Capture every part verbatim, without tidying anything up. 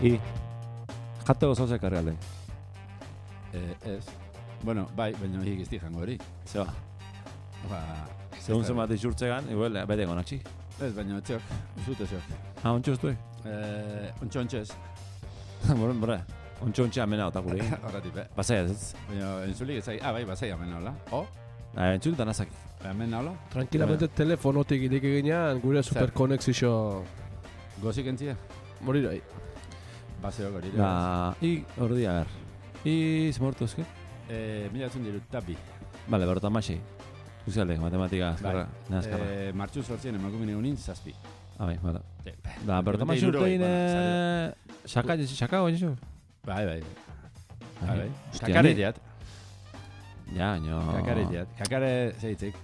I. Jateko zauzek arreale. Eh, ez. Bueno, bai, baina hik izti jango hori. Zeba. Ba, Segun zen bat izurtzegan, igual, bete gonatxi. ez, baina etxok, zute zok. Ah, ontsu estuek? Eh, ontxo ontxez. Boren, bora. Ontsu ontxe amena otakuri. Horretik, be. Basai ez ez. Baina entzulik ez ah, bai, basai amena hola. O, Ah, entzuletan azaki. amena hola. Tranquilamente telefonotik irik eginean gure superkonexio Gozik entzia? morirai. Baseo hori. Ba, I, hor dia, ber. I, zemortu ezke? Eh, mila zun diru, tabi. Bale, berota masei. Guztialdek, matematika azkarra. Bai. Nazkarra. Eh, martxu sortzien emakumine unin, zazpi. Ah, bai, bada. Eh, Da, berota masei urtein, eh... Xaka, xaka, oin zu? Bai, bai. Bai, bai. Hostia, Kakare ni- diat. Ja, baina... Kakare diat. Kakare zeitzik.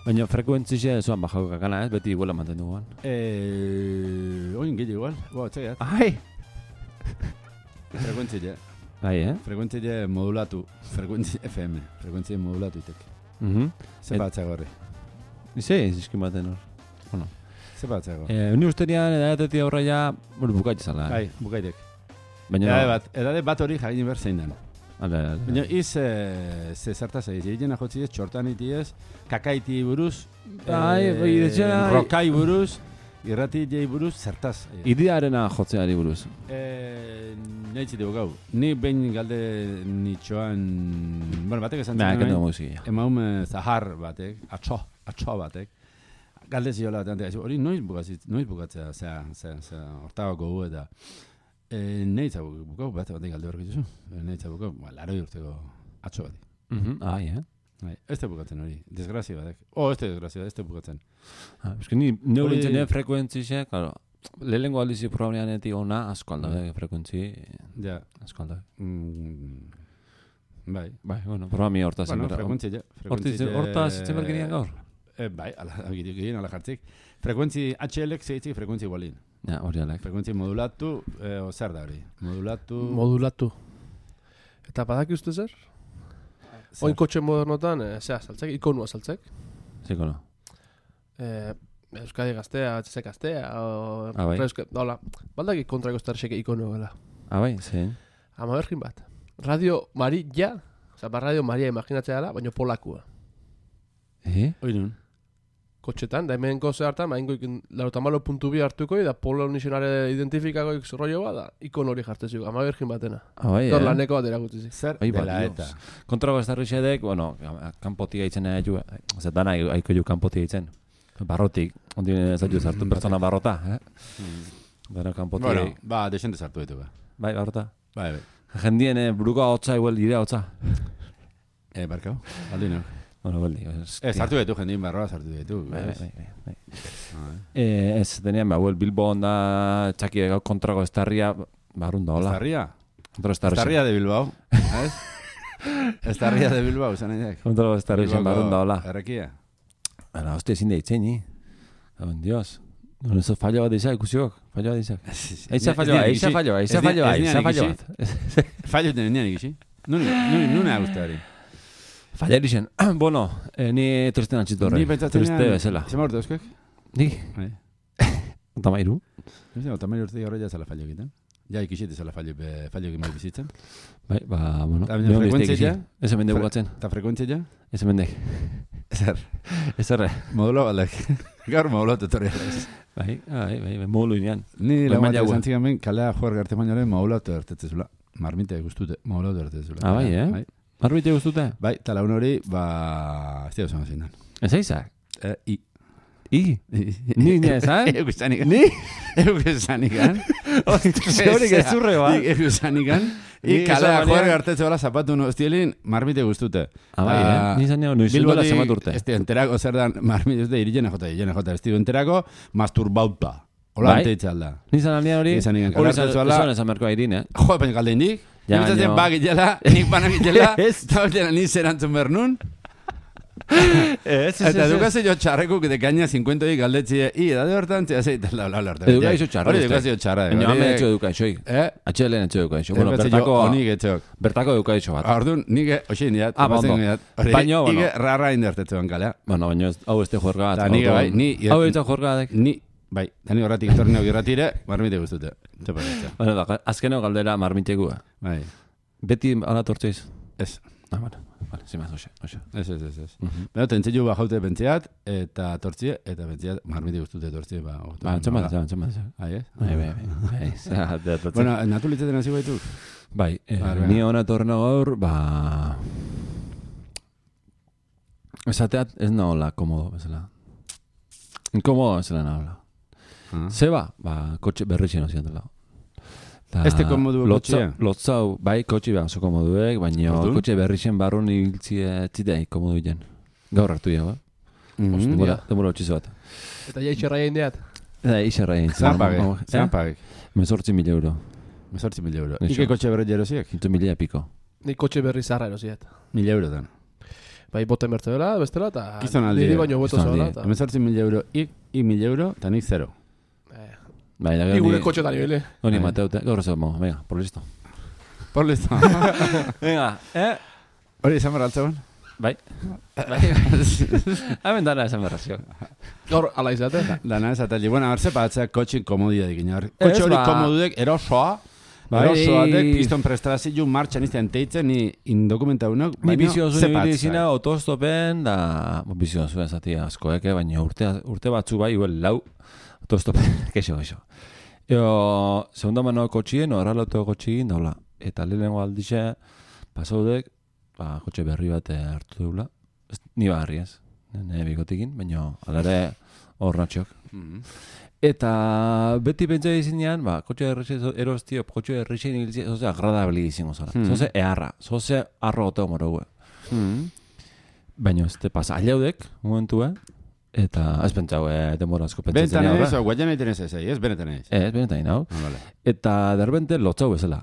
Baina frekuentzixe zuan bajako kakana ez, beti iguela mantendu guan. Eh, oin gile igual. Bo, txaiat. Ai! Frekuentzile. Bai, eh? Frekuentzile modulatu. Frekuentzile F M. Frekuentzile modulatu itek. Mhm. Ze Et- batzago horri. Ize, iziskin baten hor. Bueno. Ze batzago. Eh, uni usterian edatetik aurra ja, bueno, bukaitu zala. Eh? Bai, bukaitek. Baina... Edade bat, edade bat hori jagin ber zein den. Ale, ale. Baina iz, eh, ze zertaz egiz. Egiten ajotzi ez, txortan iti ez, kakaiti buruz, Bai, eh, bai, detxera- rokai buruz, irrati jei buruz, zertaz. Idearena jotzeari buruz. Eh, Neitzi dugu gau. Ni behin galde nitxoan... Bueno, batek esan Ba, zen kendu hemen, musika. emaum zahar batek, atxo, atxo batek, galde ziola batean, hori noiz bukatzit, noiz bukatzea, zea, zea, zea, hortagoko gu eta e, neitza bukau, bat batek galde horrek dituzu, neitza bukau, ba, laroi urteko atxo batek. Mhm. Ai, eh? Bai, ez te bukatzen hori, desgrazia batek. Oh, ez te desgrazia, ez te bukatzen. Ah, eske ni neu Hori- lintzen frekuentzixe, claro. Lehenengo aldizi programeanetik ona asko aldabe frekuentzi, Ja, asko aldabe. mm, bai. Bai, bueno, programi hortaz. Bueno, zenbera. frekuentzia, ja. Hortiz, frekuentzia- hortaz zitzen bergenian gaur. Eh, bai, ala, gehien ala jartzik. Frekuentzi H L-ek zeitzik frekuentzi igualin. Ja, hori alek. Frekuentzi modulatu, eh, o zer da hori? Modulatu... Modulatu. Eta badaki uste zer? zer? Oin kotxe modernotan, eh, zea, saltzek, ikonua saltzek. Ziko no. Eh, Euskadi gaztea, H S gaztea, o... Ah, bai. Euska- Hola, baldaki kontrako estarxek ikonu gela. Ah, bai, zein. Ama bergin bat. Radio Maria, oza, ba Radio Maria imaginatzea dela, baina polakua. Eh? Oinun. Kotxetan, da hemen goze hartan, ba, ingo ikin, lautamalo puntu bi hartuko, da polo nizionare identifikako rollo bat, da, ikon hori jartezio, ama bergin batena. Ah, bai, Dor eh? laneko bat erakutzizik. Zer Bai, ba, dela Dios. eta. Kontrago estarrixedek, bueno, kanpotik aitzen ju, zer dana aiko ju kanpotik aitzen. Barrotik, ondi ez dut zartu pertsona barrota, eh? Dara kanpotik. Bueno, ba, desente sartu ditu, ba. Bai, barrota. Bai, bai. Jendien eh, buruko hotza igual ire hotza. Eh, barkau, aldino. Bueno, beldi. Eh, sartu ditu, jendien barroa sartu ditu. Bai, bai, ez? bai, bai, bai. Ah, Eh, ez, tenean, ba, huel, Bilbo onda txaki egau kontrago estarria, barrun da, hola. Estarria. Kontrago estarria. Estarria de Bilbao, ez? Estarria de Bilbao, zan egin. Kontrago estarria barun da, hola. Errekia. Ara, hostia, ezin da itzen, ni. Oh, Dios. No, eso fallo bat izak, ikusiok. Fallo bat izak. Eiza fallo bat, eiza fallo bat, eiza fallo bat, eiza fallo bat. Fallo tenen nian ikisi. Nuna guztari. Fallar izen. Bueno, eh, ni tristen antxitu horre. Ni pentsatzen Triste bezala. Zema urte euskek? Ni? Bai. Otamairu? Ez da, otamari urte horre ja zala fallo egiten. Ja ikisite zala fallo, be- fallo egin bai bizitzen. Bai, ba, bueno. Eta baina neon beste frekuentzia ikisi. Ez hemen Fre- bukatzen. Eta frekuentzia ja? Ez hemen dek. Zer. Ez erre. Modulo balak. Gaur modulo tutorial ez. Bai, bai, bai, bai, molu inean. Ni Bai, la maila bat hua. izan zigan ben, kalea juer garte mainoaren modulo ertetzezula. Marmite guztute, modulo ertetzezula. Ah, bai, eh? Bai, Marbite guztute? bai talaun hori, ba... Ez dira osan zein dan. Ez aizak? Eh, I. I? Ni nire, zan? Euk esanik. Ni? Euk esanik. Horik ez zurre, ba? Euk esanik. I Ni kalea esan juer banean- gartetze bala zapatu no estielin, marmite guztute. Ah, bai, eh? Ni zan nio, noiz duela zemat urte. Ez enterako zer dan, marmite ez da irilena jota, irilena jota, ez enterako, masturbauta. Hola, Bai. ante itxalda. Ni zan aldean hori? Ni zan nigan, Hori kalartetzu zan ala- zan esan merkoa irin, eh? Jo, baina galde indik. Ja, Ja, Nintzatzen baina- ba gitela, nik banak gitela, Ez. eta baina ni zerantzun behar nun. Ez, Eta edukazio jo txarrekuk de gaina cincuenta y galdetzi, i edade hortan, txea zeita la la la. Edukazio txarra, Hori uste. edukazio txarra. Baina hori- hamen etxo edukaixoik. Eh? Atxelen etxo edukaixo. Bueno, Edukazio bertako... honik etxok. Bertako edukaixo bat. Orduan, nike, oxe indiat, Ah, bondo. Baina, bueno. Ike rarra indertetzean kalea. Bueno, baina ez- hau este juerga bat. Ta nire bai, ni... Hau etxo juerga dek. Ni Bai, tani horretik etorri irratire, marmite guztute. Bueno, da, azkeneo galdera marmitekua. Bai. Beti ala tortziz? Ez. Ah, bueno, vale, zimaz, oxe, oxe. Ez, ez, ez, ez. Baina, tentzio ba jaute bentziat, eta tortzie, eta bentziat marmite guztute tortzie, ba. Ba, entzun bat, entzun bat. Ai, ez? Bai, bai, bai. Bueno, natu litzeten hasi baitu? Bai, ni hona torna gaur, ba... Esateat ez nahola, komodo, bezala. Inkomodo, bezala nahola. Zeba, ba, kotxe berritxen hozien dela. Este komodu kotxea? Lotzau, bai, kotxe behar oso komoduek, baina kotxe berritxen barrun ibiltzie txidei komodu jen. Gaur hartu jau, eh? Demora utxizu bat. Eta ja itxerra jain deat? Eta itxerra jain. Zanpagek, zanpagek. Mezortzi mil euro. Mezortzi mil euro. Ike kotxe berri jerosiek? Itu milia piko. Ni kotxe berri zarra erosiet. Mil euro dan. Bai, bote mertze dela, bestela, eta... Gizton aldi. Niri baino boto zola. Mezortzi mil euro, ik, ik mil euro, eta nik zero. Bai, da gero ni... Ni gure kotxe da nibele. Honi mateute, gaur ez dago, venga, por listo. Por listo. Venga, eh? Hori izan barra altzegoen? Bai. Bai. Hemen dana esan berrazio. Gaur, ala izate. Dana esateli. Bueno, arze batzea kotxin komodia dikin. Kotxe hori komodudek erosoa, erosoatek, piston prestrazio martxan iztean teitzen, ni indokumenta unok, baina zepatzak. Ni biziozu nibili izina autostopen, da, biziozu esatia askoeke, baina urte, urte batzu bai, huel lau, autostopen, kexo, kexo. Eo, segunda mano kotxien, horrela auto kotxien, daula. Eta lehenengo aldixe, pasaudek, ba, kotxe berri bat hartu dugula. Ni barri ez, nire bikotikin, baina alare hor natxok. Eta beti pentsa izinean, ba, kotxe erostio, kotxe errixen hilzi, zoze agradabili izango zara. Zoze eharra, zoze arro goteo morogue. Baina ez te pasa, aliaudek, momentua, eta ez pentsau, eh, demora asko pentsatzen. Benetan ez, o guaian egiten ez ez, ez benetan ez. Ez, benetan hau. Eta derbente lotzau bezala.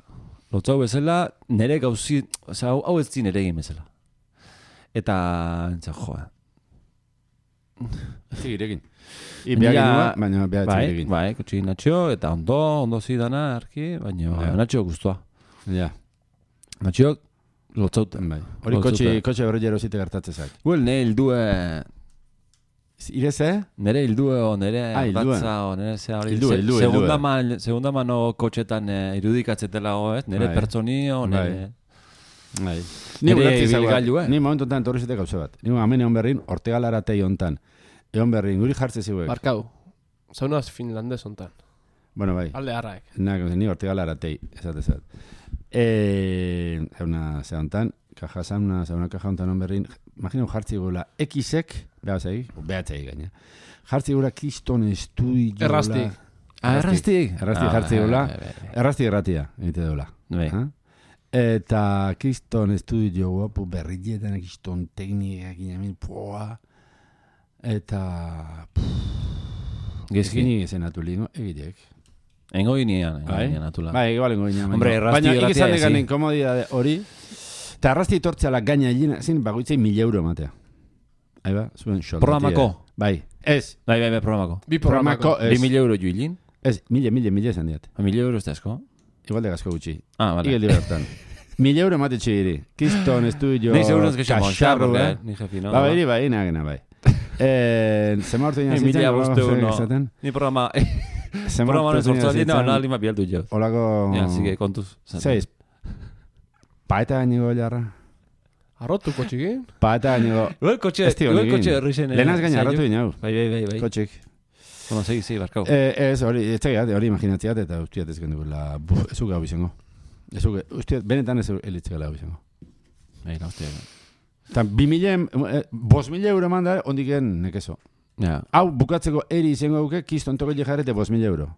Lotzau bezala, nire gauzi, oza, hau ez zin ere egin bezala. Eta, entza, joa. Zigirekin. I biagin nua, baina biagin zigirekin. Bai, kotxi natxio, eta ondo, ondo zidana, arki, baina natxio guztua. Ja. Natxio, lotzauten. Bai. Hori kotxe berri jero zite gertatzezak. Well, ne hildue... Ire ze? Nere hildue o nere batza o nere ze hori... Hildue, hildue, hildue. Segunda mano kotxetan irudikatzetela goez, nere pertsonio, nere... Bai. Ni bilgailua. Ni momentotan torri zite gauze bat. Ni hemen egon berrin, Ortegalara tei hontan. Egon berrin, guri jartze ziuek. Barkau, zaunaz finlandez hontan. Bueno, bai. Alde harraek. Ni Ortegalara tei, esatezat. Zauna, ze hontan, kaja zauna, zauna kaja hontan on berrin, imagino jartzi gula X-ek, behatzei, behatzei gaina. Jartzi gula Kriston Estudio... Errasti. Ah, errasti. Errasti jartzi gula. Errasti erratia, egite dola. Bai. Eta Kriston Estudio guapu berrietan, Kriston teknikak inamin, poa. Eta... Gezkini ezen atulingo, egitek. Engo ginean, engo atula. Bai, igual engo ginean. Hombre, errasti baina ikizan degan inkomodidade hori, eta errasti tortzala gaina egin, zin, bagoitzei mil euro matea. Ahí ba, zuen xoldatia. Programako? Bai, ez. Bai, bai, bai, programako. Bi programako. Bi mil euro juilin? Ez, mille, mille, mille esan diat. Mil euro ez da esko? Igual de gasko gutxi. Ah, vale. Igel divertan. Mil euro mate txiri. Kiston, estudio, Nei seguro que se kaxarru, monta, ni jefi, no? Ba, bai, bai, nagena, bai. Zema orte dina zitzen, no. Ni programa... Programa no sortzali, no, no, lima bialdu jo. Olako... Ja, sigue, kontuz. Seiz. Paeta gainigo jarra. Arrotu kotxikin? Paeta gainigo... Uel kotxe, uel kotxe errixen... Lehenaz gaina arrotu dinau. Bai, bai, bai, bai. Kotxik. Bueno, segi, segi, barkau. Ez, hori, ez tegiat, hori imaginatziat, eta ustiat ez gendukula, ez uge hau izango. Ez uge, ustiat, benetan ez elitzegela hau izango. Bai, no, ustiat. Eta bi mila, bos mila euro manda, ondiken nekezo. Ja. Hau, bukatzeko eri izango duke, kiston toko jarrete bos mila euro.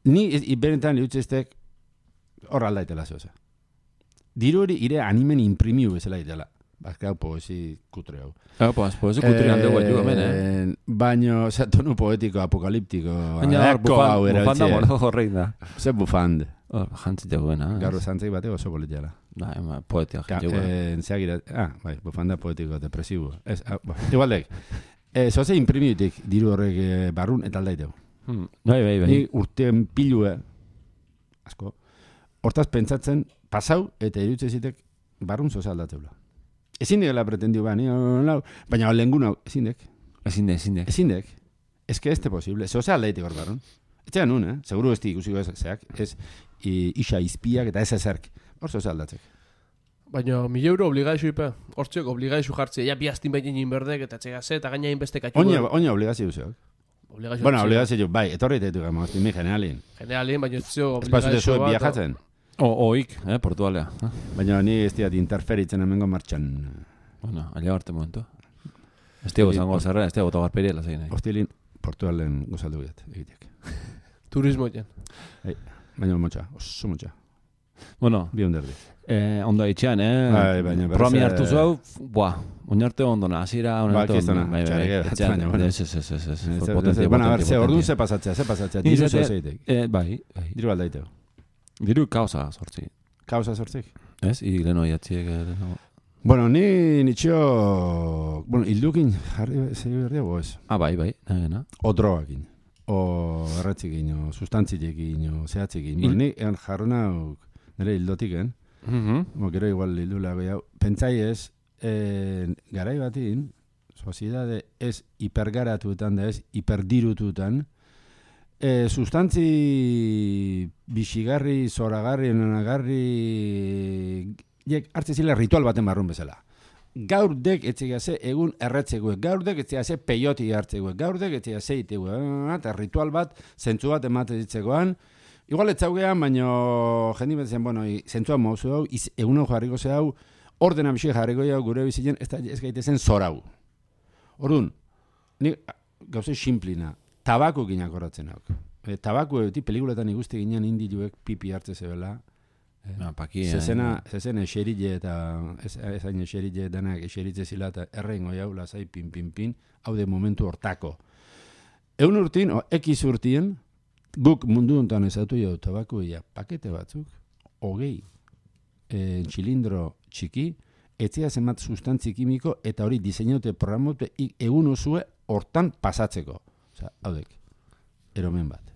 Ni, benetan, liutzestek, hor aldaitela zoza. Diru hori, ire animen imprimiu bezala itela. Bazka, poesi kutre hau. Hau, pues, poesi kutre hande guaitu hemen, eh? Baina, oza, tonu poetiko, apokaliptiko. Baina, bufanda mono horrein da. Ze bufand. Hor, jantzite guena. Garro zantzei bate oso boletiala. Bai, poetia jantzite guena. Zeagira, ah, bai, bufanda poetiko, depresibo. Ez, igualdek. Zoze imprimiutik diru horrek barrun eta aldaiteu. Bai, bai, bai. Ni urtean pilue, asko, hortaz pentsatzen, pasau eta irutze zitek barrun zoze aldatzeula. Ezin dela pretendio ba, ni, baina lehenguna, ezin dek. Ezin dek, ezin dek. Ezin dek. Es que este posible. Se osea leitik hor barrun. Etxean nun, eh? Seguru ez di ikusiko zeak. Ez isa izpiak eta ez ezerk. Hor se osea aldatzek. Baina, mil euro obligaizu ipe. Hortziok obligaizu jartze. Ja, bi astin behin inberdek eta txegase eta gaina inbeste katxu. Oina, oina obligazio zeak. Obligazio. Bueno, obligazio, bai, etorri teitu gama, hostia, mi generalin. Generalin, baina ez zio obligazio bat. Espazio viajatzen. O, oik, eh, Portugalea. Baina ni ez diat interferitzen hemengo martxan. Bueno, alia arte momentu. Ez diago zango zerra, ez diago togarperia lazai nahi. Hostilin, Portugalen gozaldu biat, egitek. Turismo jen. Hey, baina motxa, oso motxa. Bueno, bi onderdi. Eh, ondo itxean, eh? Bai, baina berriz... Promi hartu zu, buah, oinarte ondona, azira, oinarte ondona. Bai, bai, bai, ez, ez, ez, ez, ez. Bueno, a ver, ze orduan ze pasatzea, ze pasatzea, diru zo zeitek. Bai, bai. Diru aldaiteo. Diru kausa sortzi. Kausa sortzik? Ez, igileno iatziek... Bueno, ni nitxio... Bueno, hildukin jarri zei berria boez. Ah, bai, bai, nagena. O drogakin. O erratzikin, o sustantziekin, o zehatzikin. Bueno, ni egan jarruna nire hildotiken. Mo, gero igual hildu lago jau. Pentsai ez, garai batin, soziedade ez hipergaratuetan da ez, hiperdirututan, E, sustantzi bixigarri, zoragarri, onagarri jek hartze zile ritual baten barrun bezala. Gaur dek etxegaze egun erretzeguek, gaur dek etxegaze peioti hartzeguek, gaur dek etxegaze iteguek, eta ritual bat, zentzu bat emate ditzegoan. Igual etzaugean, baino jendi bat zen, bueno, zentzua mauzu hau, egun hau jarriko ze hau, ordena bixi jarriko hau gure bizien, ez, ez gaitezen zorau. Orduan, ni gauze simplina, tabaku ginak horretzen hauk. E, tabaku eti pelikuletan ikusti ginen indiluek pipi hartze zebela. E, no, pakia. Zezena, zezena eserille eta ezain eserille danak eseritze zila eta errein goi hau lazai pin pin pin, hau de momentu hortako. Egun urtin, o, ekiz urtien, guk mundu honetan ezatu jau tabaku ia pakete batzuk, hogei e, txilindro txiki, etzea zenbat sustantzi kimiko eta hori diseinaute programote egun osue hortan pasatzeko. Osa, haudek, eromen bat.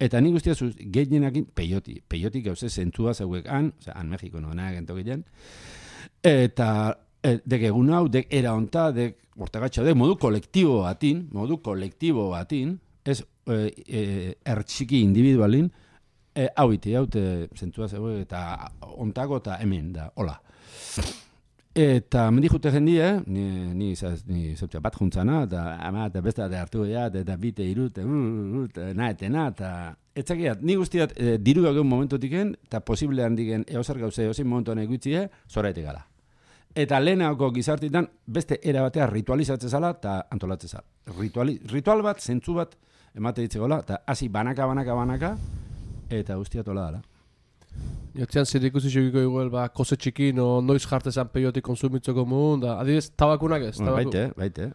Eta nik guztia zuz, gehienakin peioti. Peioti gauze zentzua zeuek han, oza, han Mexiko no, nahi gentokilean. Eta e, dek egun hau, dek era onta, dek bortagatxa, dek modu kolektibo batin, modu kolektibo batin, ez e, e, ertxiki individualin, e, hau iti, haute zentzua zeuek, eta ontako eta hemen da, hola. Eta mendi jute jendia, ni, ni, ni zeutzea bat juntzana, eta ama, eta besta de hartu gehiat, eta bite irut, eta naetena, eta etzakiat, ni guztiat e, diru gauen momentotiken, eta posible handiken eozer gauze eozin momentuan egutzie, zoraetik gala. Eta lehenako gizartitan beste era batea ritualizatze zala, eta antolatze zala. Rituali, ritual bat, zentzu bat, emate ditzegoela, eta hasi banaka, banaka, banaka, eta guztiat hola dala. Jotzean zer ikusi xogiko igual, ba, kose txiki, no, noiz jartezan peiotik konsumitzeko mugun, da, adibidez, tabakunak ez? Bueno, baite, baite.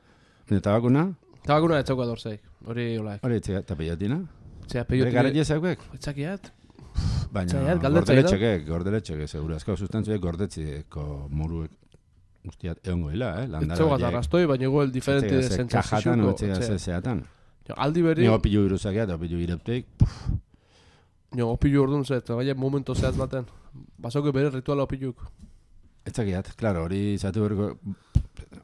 Nire tabakuna? Tabakuna ez zauka dorzeik, hori olaik. Hori etxea, eta peiotina? Etxea peiotina. Bere garetxe zauek? Etxakiat. Baina, gordeletxekek, gordeletxekek, segura. Azko sustantzuek gordetzeko muruek guztiat egongo hila, eh? Ez zauka zarrastoi, baina igual diferente zentzaziozuko. Kajatan, no etxega zeatan. Aldi berri... Ni opilu iruzakiat, opilu irepteik, puf. Jo, opilu orduan zet, gaia momento zehaz baten. Basauke bere rituala opiluk. Etzakiat, klaro, hori zatu berko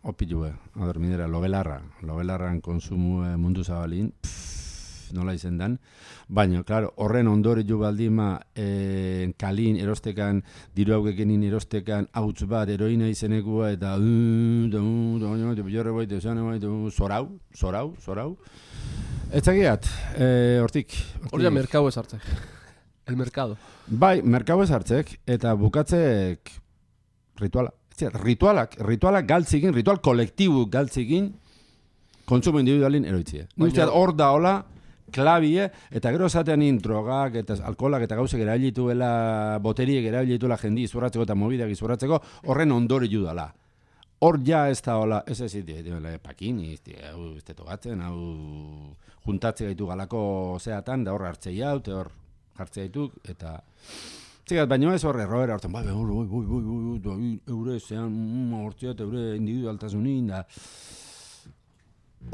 opilue. Ador, minera, lobelarra. Lobelarran konsumu mundu zabalin, pff, nola izen dan. Baina, klaro, horren ondori ju baldima eh, kalin erostekan, diru haukekenin erostekan, hauts bat, heroina izenekua, eta zorau, zorau, zorau. Etzakiat, hortik. Hori da merkau ez hartzek. El mercado. Bai, merkau ez hartzek, eta bukatzek rituala. Ritualak, ritualak galtzikin, ritual kolektibu galtzikin, kontsumo individualin eroitzie. Baina hor da hola, klabie, eta gero esatean in drogak, eta alkoholak, eta gauzek erabilituela, boteriek erabilituela jendi izurratzeko eta mobideak izurratzeko, horren ondori judala. Hor ja ez da hola, ez ez iti, pakin, hau ez togatzen, hau juntatze gaitu galako zeatan, da hor hartzei hau, eta hor hartzei gaituk, eta... Txigat, baina ez horre, erroera horten, bai, bai, bai, bai, bai, eure zean, hortziat, eure individualtasunin, da...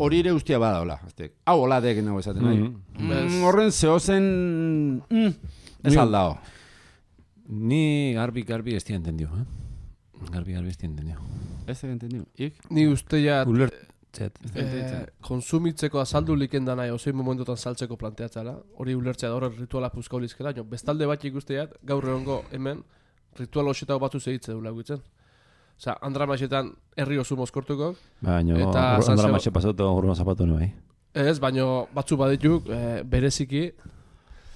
Hori ere ustia bada, hola, hau hola deken hau esaten, nahi. Horren zehozen, ez aldao. Ni garbi, garbi ez tia entendiu, eh? Garbi, garbi ez tia entendiu. Ez da entendiu, ik? Ni uste ja... Zet. Eh, konsumitzeko azaldu liken da nahi, ozein momentotan saltzeko planteatzala, hori ulertzea da, hori rituala puzka olizkela, jo, bestalde bat ikusteat, gaur egongo hemen, ritual hoxetako batzu zehitze du laguitzen. Osa, Andramaxetan herri oso mozkortuko. Baina, Andramaxe pasatu horren zapatu nahi. Ez, baina batzu badituk, eh, bereziki.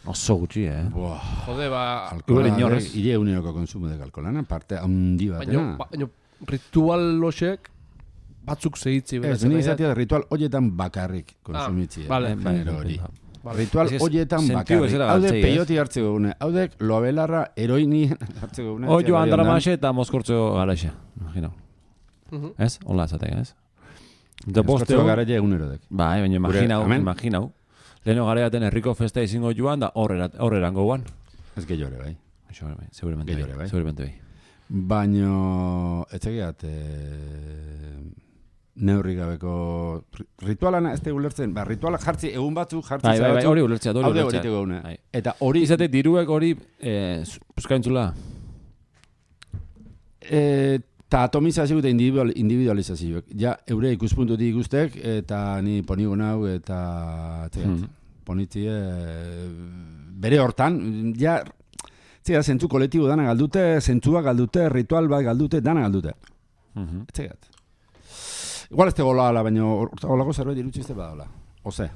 Oso gutxi, eh? Buah. Jode, ba... Alkohola, ire uneroko konsumo de alkoholana, parte handi batena. Baina, ritual loxek batzuk zehitzi. Ez, nire izatea ritual horietan bakarrik konsumitzi. Ah, vale, genero hori. Vale. Ritual horietan bakarrik. Haude peioti hartzeko gune. Haudek loabelarra eroini hartzeko gune. Oio Andramaxe eta mozkortzeko garaxe. Imagino. Ez? Hola esatek, ez? Mozkortzeko garaxe egunerodek. Bai, baina imaginau, imaginau. Leheno gareaten herriko festa izingo joan da horrerango guan. Ez gehiore, bai. Seguramente bai. Seguramente bai. Baina, etxegiat, neurri gabeko ritualana ez da ulertzen, ba, rituala jartzi egun batzu, jartzi bai, bai, bai, hori ulertzea, hori ulertzea. Haude hori bai. Eta hori... Izate diruek hori, eh, puskaintzula? Eta atomizazio eta individual, individualizazioek. Ja, eure ikuspuntutik ikustek, eta ni ponigo nau, eta... Hmm. Ponitzie... Bere hortan, ja... Zega, zentzu kolektibo dana galdute, zentzua galdute, ritual bat galdute, dana galdute. Mm-hmm. Etxegat. Igual ez tego ala, baina holako zerbait irutxizte badaola. Ose.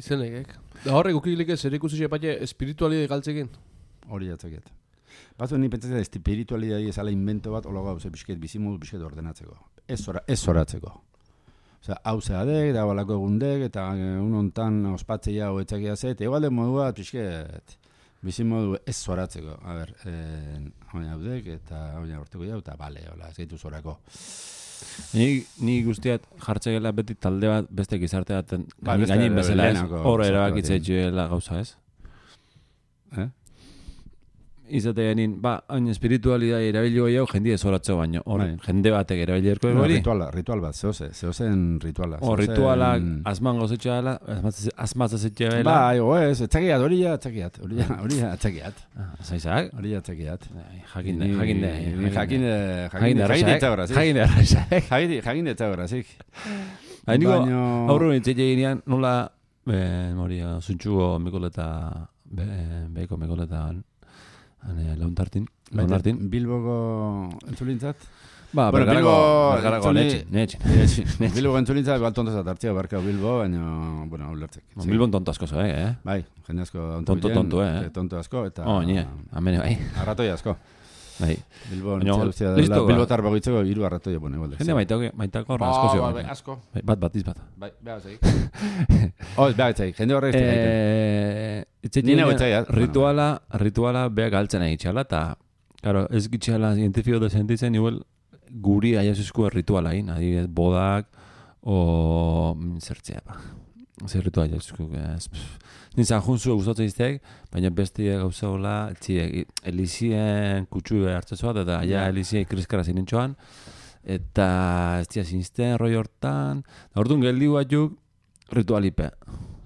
Izenekek. Da horrek ukilik ez erikusi epatxe espiritualide galtzekin. Hori jatzaket. Batzu ni pentsatzen espiritualidea ezala invento bat holago hau ze pixket bizimodu pixket ordenatzeko. Ez ora, ez zoratzeko. Osea, hau zeadek, da balako egundek, eta unontan ospatzeia hau etxakia ze, eta igual de modua pixket bizimodu ez zoratzeko. A ber, eh, hau haudek, eta hau horteko jau, eta bale, hola, ez gaitu zorako. Ni, ni guztiat jartzegela beti talde bat beste gizarte baten ba, gainin bezala ez, hor erabakitze etxuela gauza ez. Eh? Izate genin, ba, hain espiritualidad erabilio gehiago jendie zoratzeo baino, hor jende batek erabilierko no, hori. Rituala, ritual bat, zehoze, zehozen rituala. Hor ritualak azman gauzetxe dela, azmazazetxe dela. Ba, ego ez, etxakiat, hori ja, etxakiat, hori ja, hori ja, etxakiat. Zaizak? Hori ja, etxakiat. Jakinde, jakinde. Jakinde, jakinde, jakinde etxagora, zik. Jakinde arraizak. Jakinde etxagora, zik. Hainiko, aurro nintzile ginean, nola, mori, zuntxugo mikoleta, behiko mikoleta, Launtartin, Launtartin. Bilboko entzulintzat? Ba, bueno, Bilbo... Bergarako, netxe, netxe. Bilboko entzulintzat, igual tontosat hartzia barka Bilbo, baina, bueno, ulertzek. No, Bilbon tonto asko zo, eh? Bai, jende asko. Tonto, tonto, eh? Tonto asko, eta... Oh, nie, amene, bai. Arratoi asko. Bai. Bilbo entzulintzat dela, Bilbo tarbo gitzeko iru arratoi epone. Jende maitako, maitako horra asko zio. Bai, asko. Bat, bat, izbat. Bai, behar zeik. Oh, behar zeik, jende horre izte gaiten. Rituala, rituala beha galtzen egitxala, eta, claro, ez gitxala zientifiko da sentitzen, igual, guri aiazuzko rituala hain, adibidez, bodak, o zertzea, ba. Zer rituala aiazuzko, ez... Nintzen junzu gustatzen izteak, baina beste gauza hola, txiek, elizien kutsu hartzezoa, eta ja elizien kriskara zinintxoan, eta ez tia zinzten, roi hortan, orduan geldi batzuk ritualipe.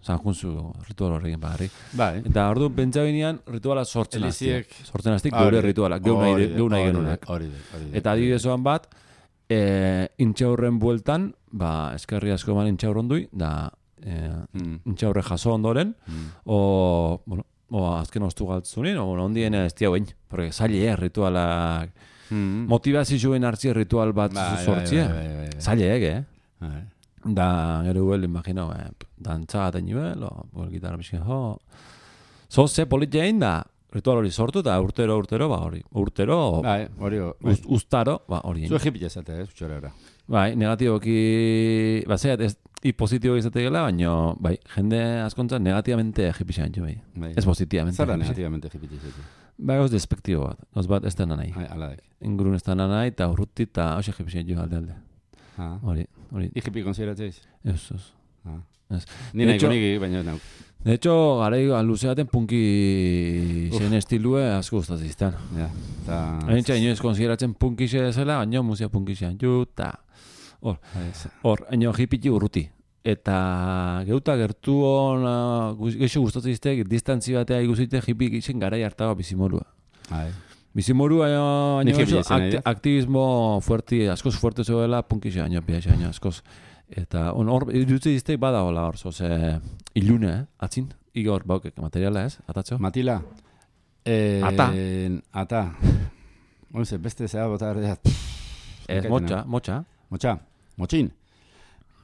San junzu ritual horrekin bagarri. Bai. Eta orduan pentsa binean rituala sortzen aztiak. Sortzen aztiak geure rituala, geu nahi genunak. Eta adibidezoan bat, intxaurren bueltan, ba, eskerri asko man intxaurron dui, da, Eh, mm. intxaurre jaso ondoren mm. o, bueno, o azken ostu galtzunin o bueno, ondien ez tia guen porque zaile eh, ritualak mm. motivazioen hartzi ritual bat sortzia zaile eh bai. Da gero huel imagino eh, dantza eta nivel o bol gitarra miskin jo so ze politzein da ritual hori sortu eta urtero urtero ba hori urtero bai, hori ust, ustaro ba hori zu egipila zate ez txorera bai negatiboki ba zeat ez i positibo izate gela, baina, bai, jende askontza negativamente egipizan jo, bai. bai. Ez positivamente. Zara negativamente egipizan jo? Bai, gauz despektibo bat. Gauz bat ez dena nahi. Aladek. Ingurun ez dena nahi, eta urruti, eta hau egipizan jo alde alde. Hori, hori. Egipi konsideratzeiz? Ez, ez. Ez. Ni nahi koniki, baina nauk. De hecho, gara luzeaten punki zen estilue asko guztatziztan. Ja, eta... Hain inoiz konsideratzen punki zela, baina muzia punki zean jo, eta... Hor, hor, haino hipiti urruti. Eta geuta gertu hon, geixo gustatzen izteak, distantzi batea iguzite hipi gixen garai hartago bizimolua. Bizimoru baina Ni baina hippie oso izan nahi akti- dut. aktivismo fuerti, askoz fuerte zuela punkixe baina piaxe baina askoz. Eta on hor irutzi diztek bada hola hor, zoze ilune, eh? Atzin, igor baukek materiala ez, atatxo? Matila. Eh, Ata. Ata. Oize, beste zea bota erdeat. Ez, motxa, motxa. Motxa, motxin.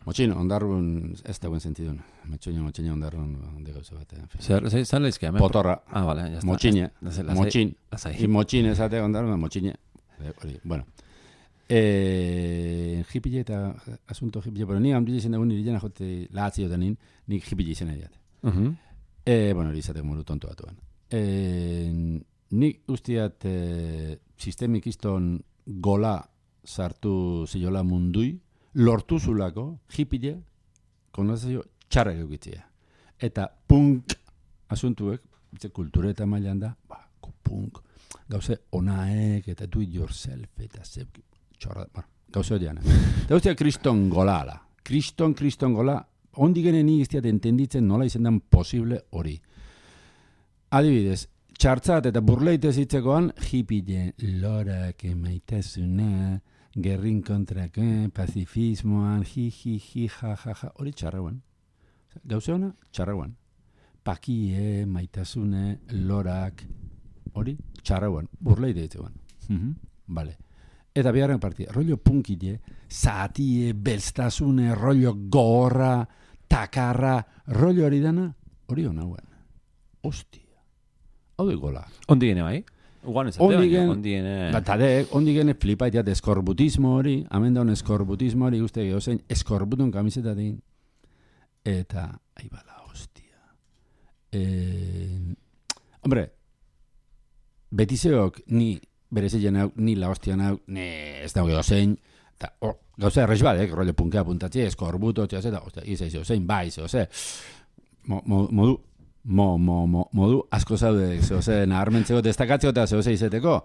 Motxin, ondarrun ez dagoen sentidun. Motxin, motxin ondarrun de gauza bat. en fin. Zer, zer, zer leizke, hemen? Potorra. Ah, vale, ya está. Motxine. Ez- lasai- Motxin. lasai. Y motxin esate ondarrun, motxine. Eh, Hori, bueno. Eh, hippie eta asunto hippie, pero ni hamdi izan dagoen nire jena jote lahatziotan nin, nik hippie izan nahi dat. Mhm. Eh, bueno, hori izateko modu tonto batuan. Eh, nik usteat eh, sistemik izton gola sartu ziola mundui, lortu zulako, hippie, konozio txarrak eukitzea. Eta punk asuntuek, bitze kultura eta mailan da, ba, punk, gauze onaek, eta do it yourself, eta zeb, txorra, bueno, gauze horian. Eta ustea kriston gola ala. Kriston, kriston gola, ondi genen izteat entenditzen nola izan den posible hori. Adibidez, txartzat eta burleite zitzekoan, hippie lorak emaitasuna, gerrin kontrako, pazifismoan, hi, hi, hi, ja, ja, ja, hori txarrauan. Gauze hona, txarrauan. Pakie, maitasune, lorak, hori txarrauan, burleite zitzekoan. Mm-hmm. Vale. Eta biharren partia, rollo punkile, zatie, belztasune, rollo gorra, takarra, rollo hori dana, hori honauen. Ostia. Hau de gola. Ondi gene bai? Ugan ez Ondi baina, gen- ondi gene... Batadek, ondi gene flipaitea de eskorbutismo hori, hamen daun eskorbutismo hori, uste gehozein, eskorbutun kamiseta din. Eta, ahi bala, hostia. Eh, hombre, betizeok ni berezilen hau, ni la hostia hau, ne, ez dago gehozein, eta, oh, gauza errez badek, rollo punkea puntatzi, eskorbuto, txaz, eta, ostia, izaiz gehozein, bai, zehoze, mo, mo, modu, Mo, mo, mo, modu asko zaude, zehoze, naharmentzeko, destakatzeko eta zehoze izeteko.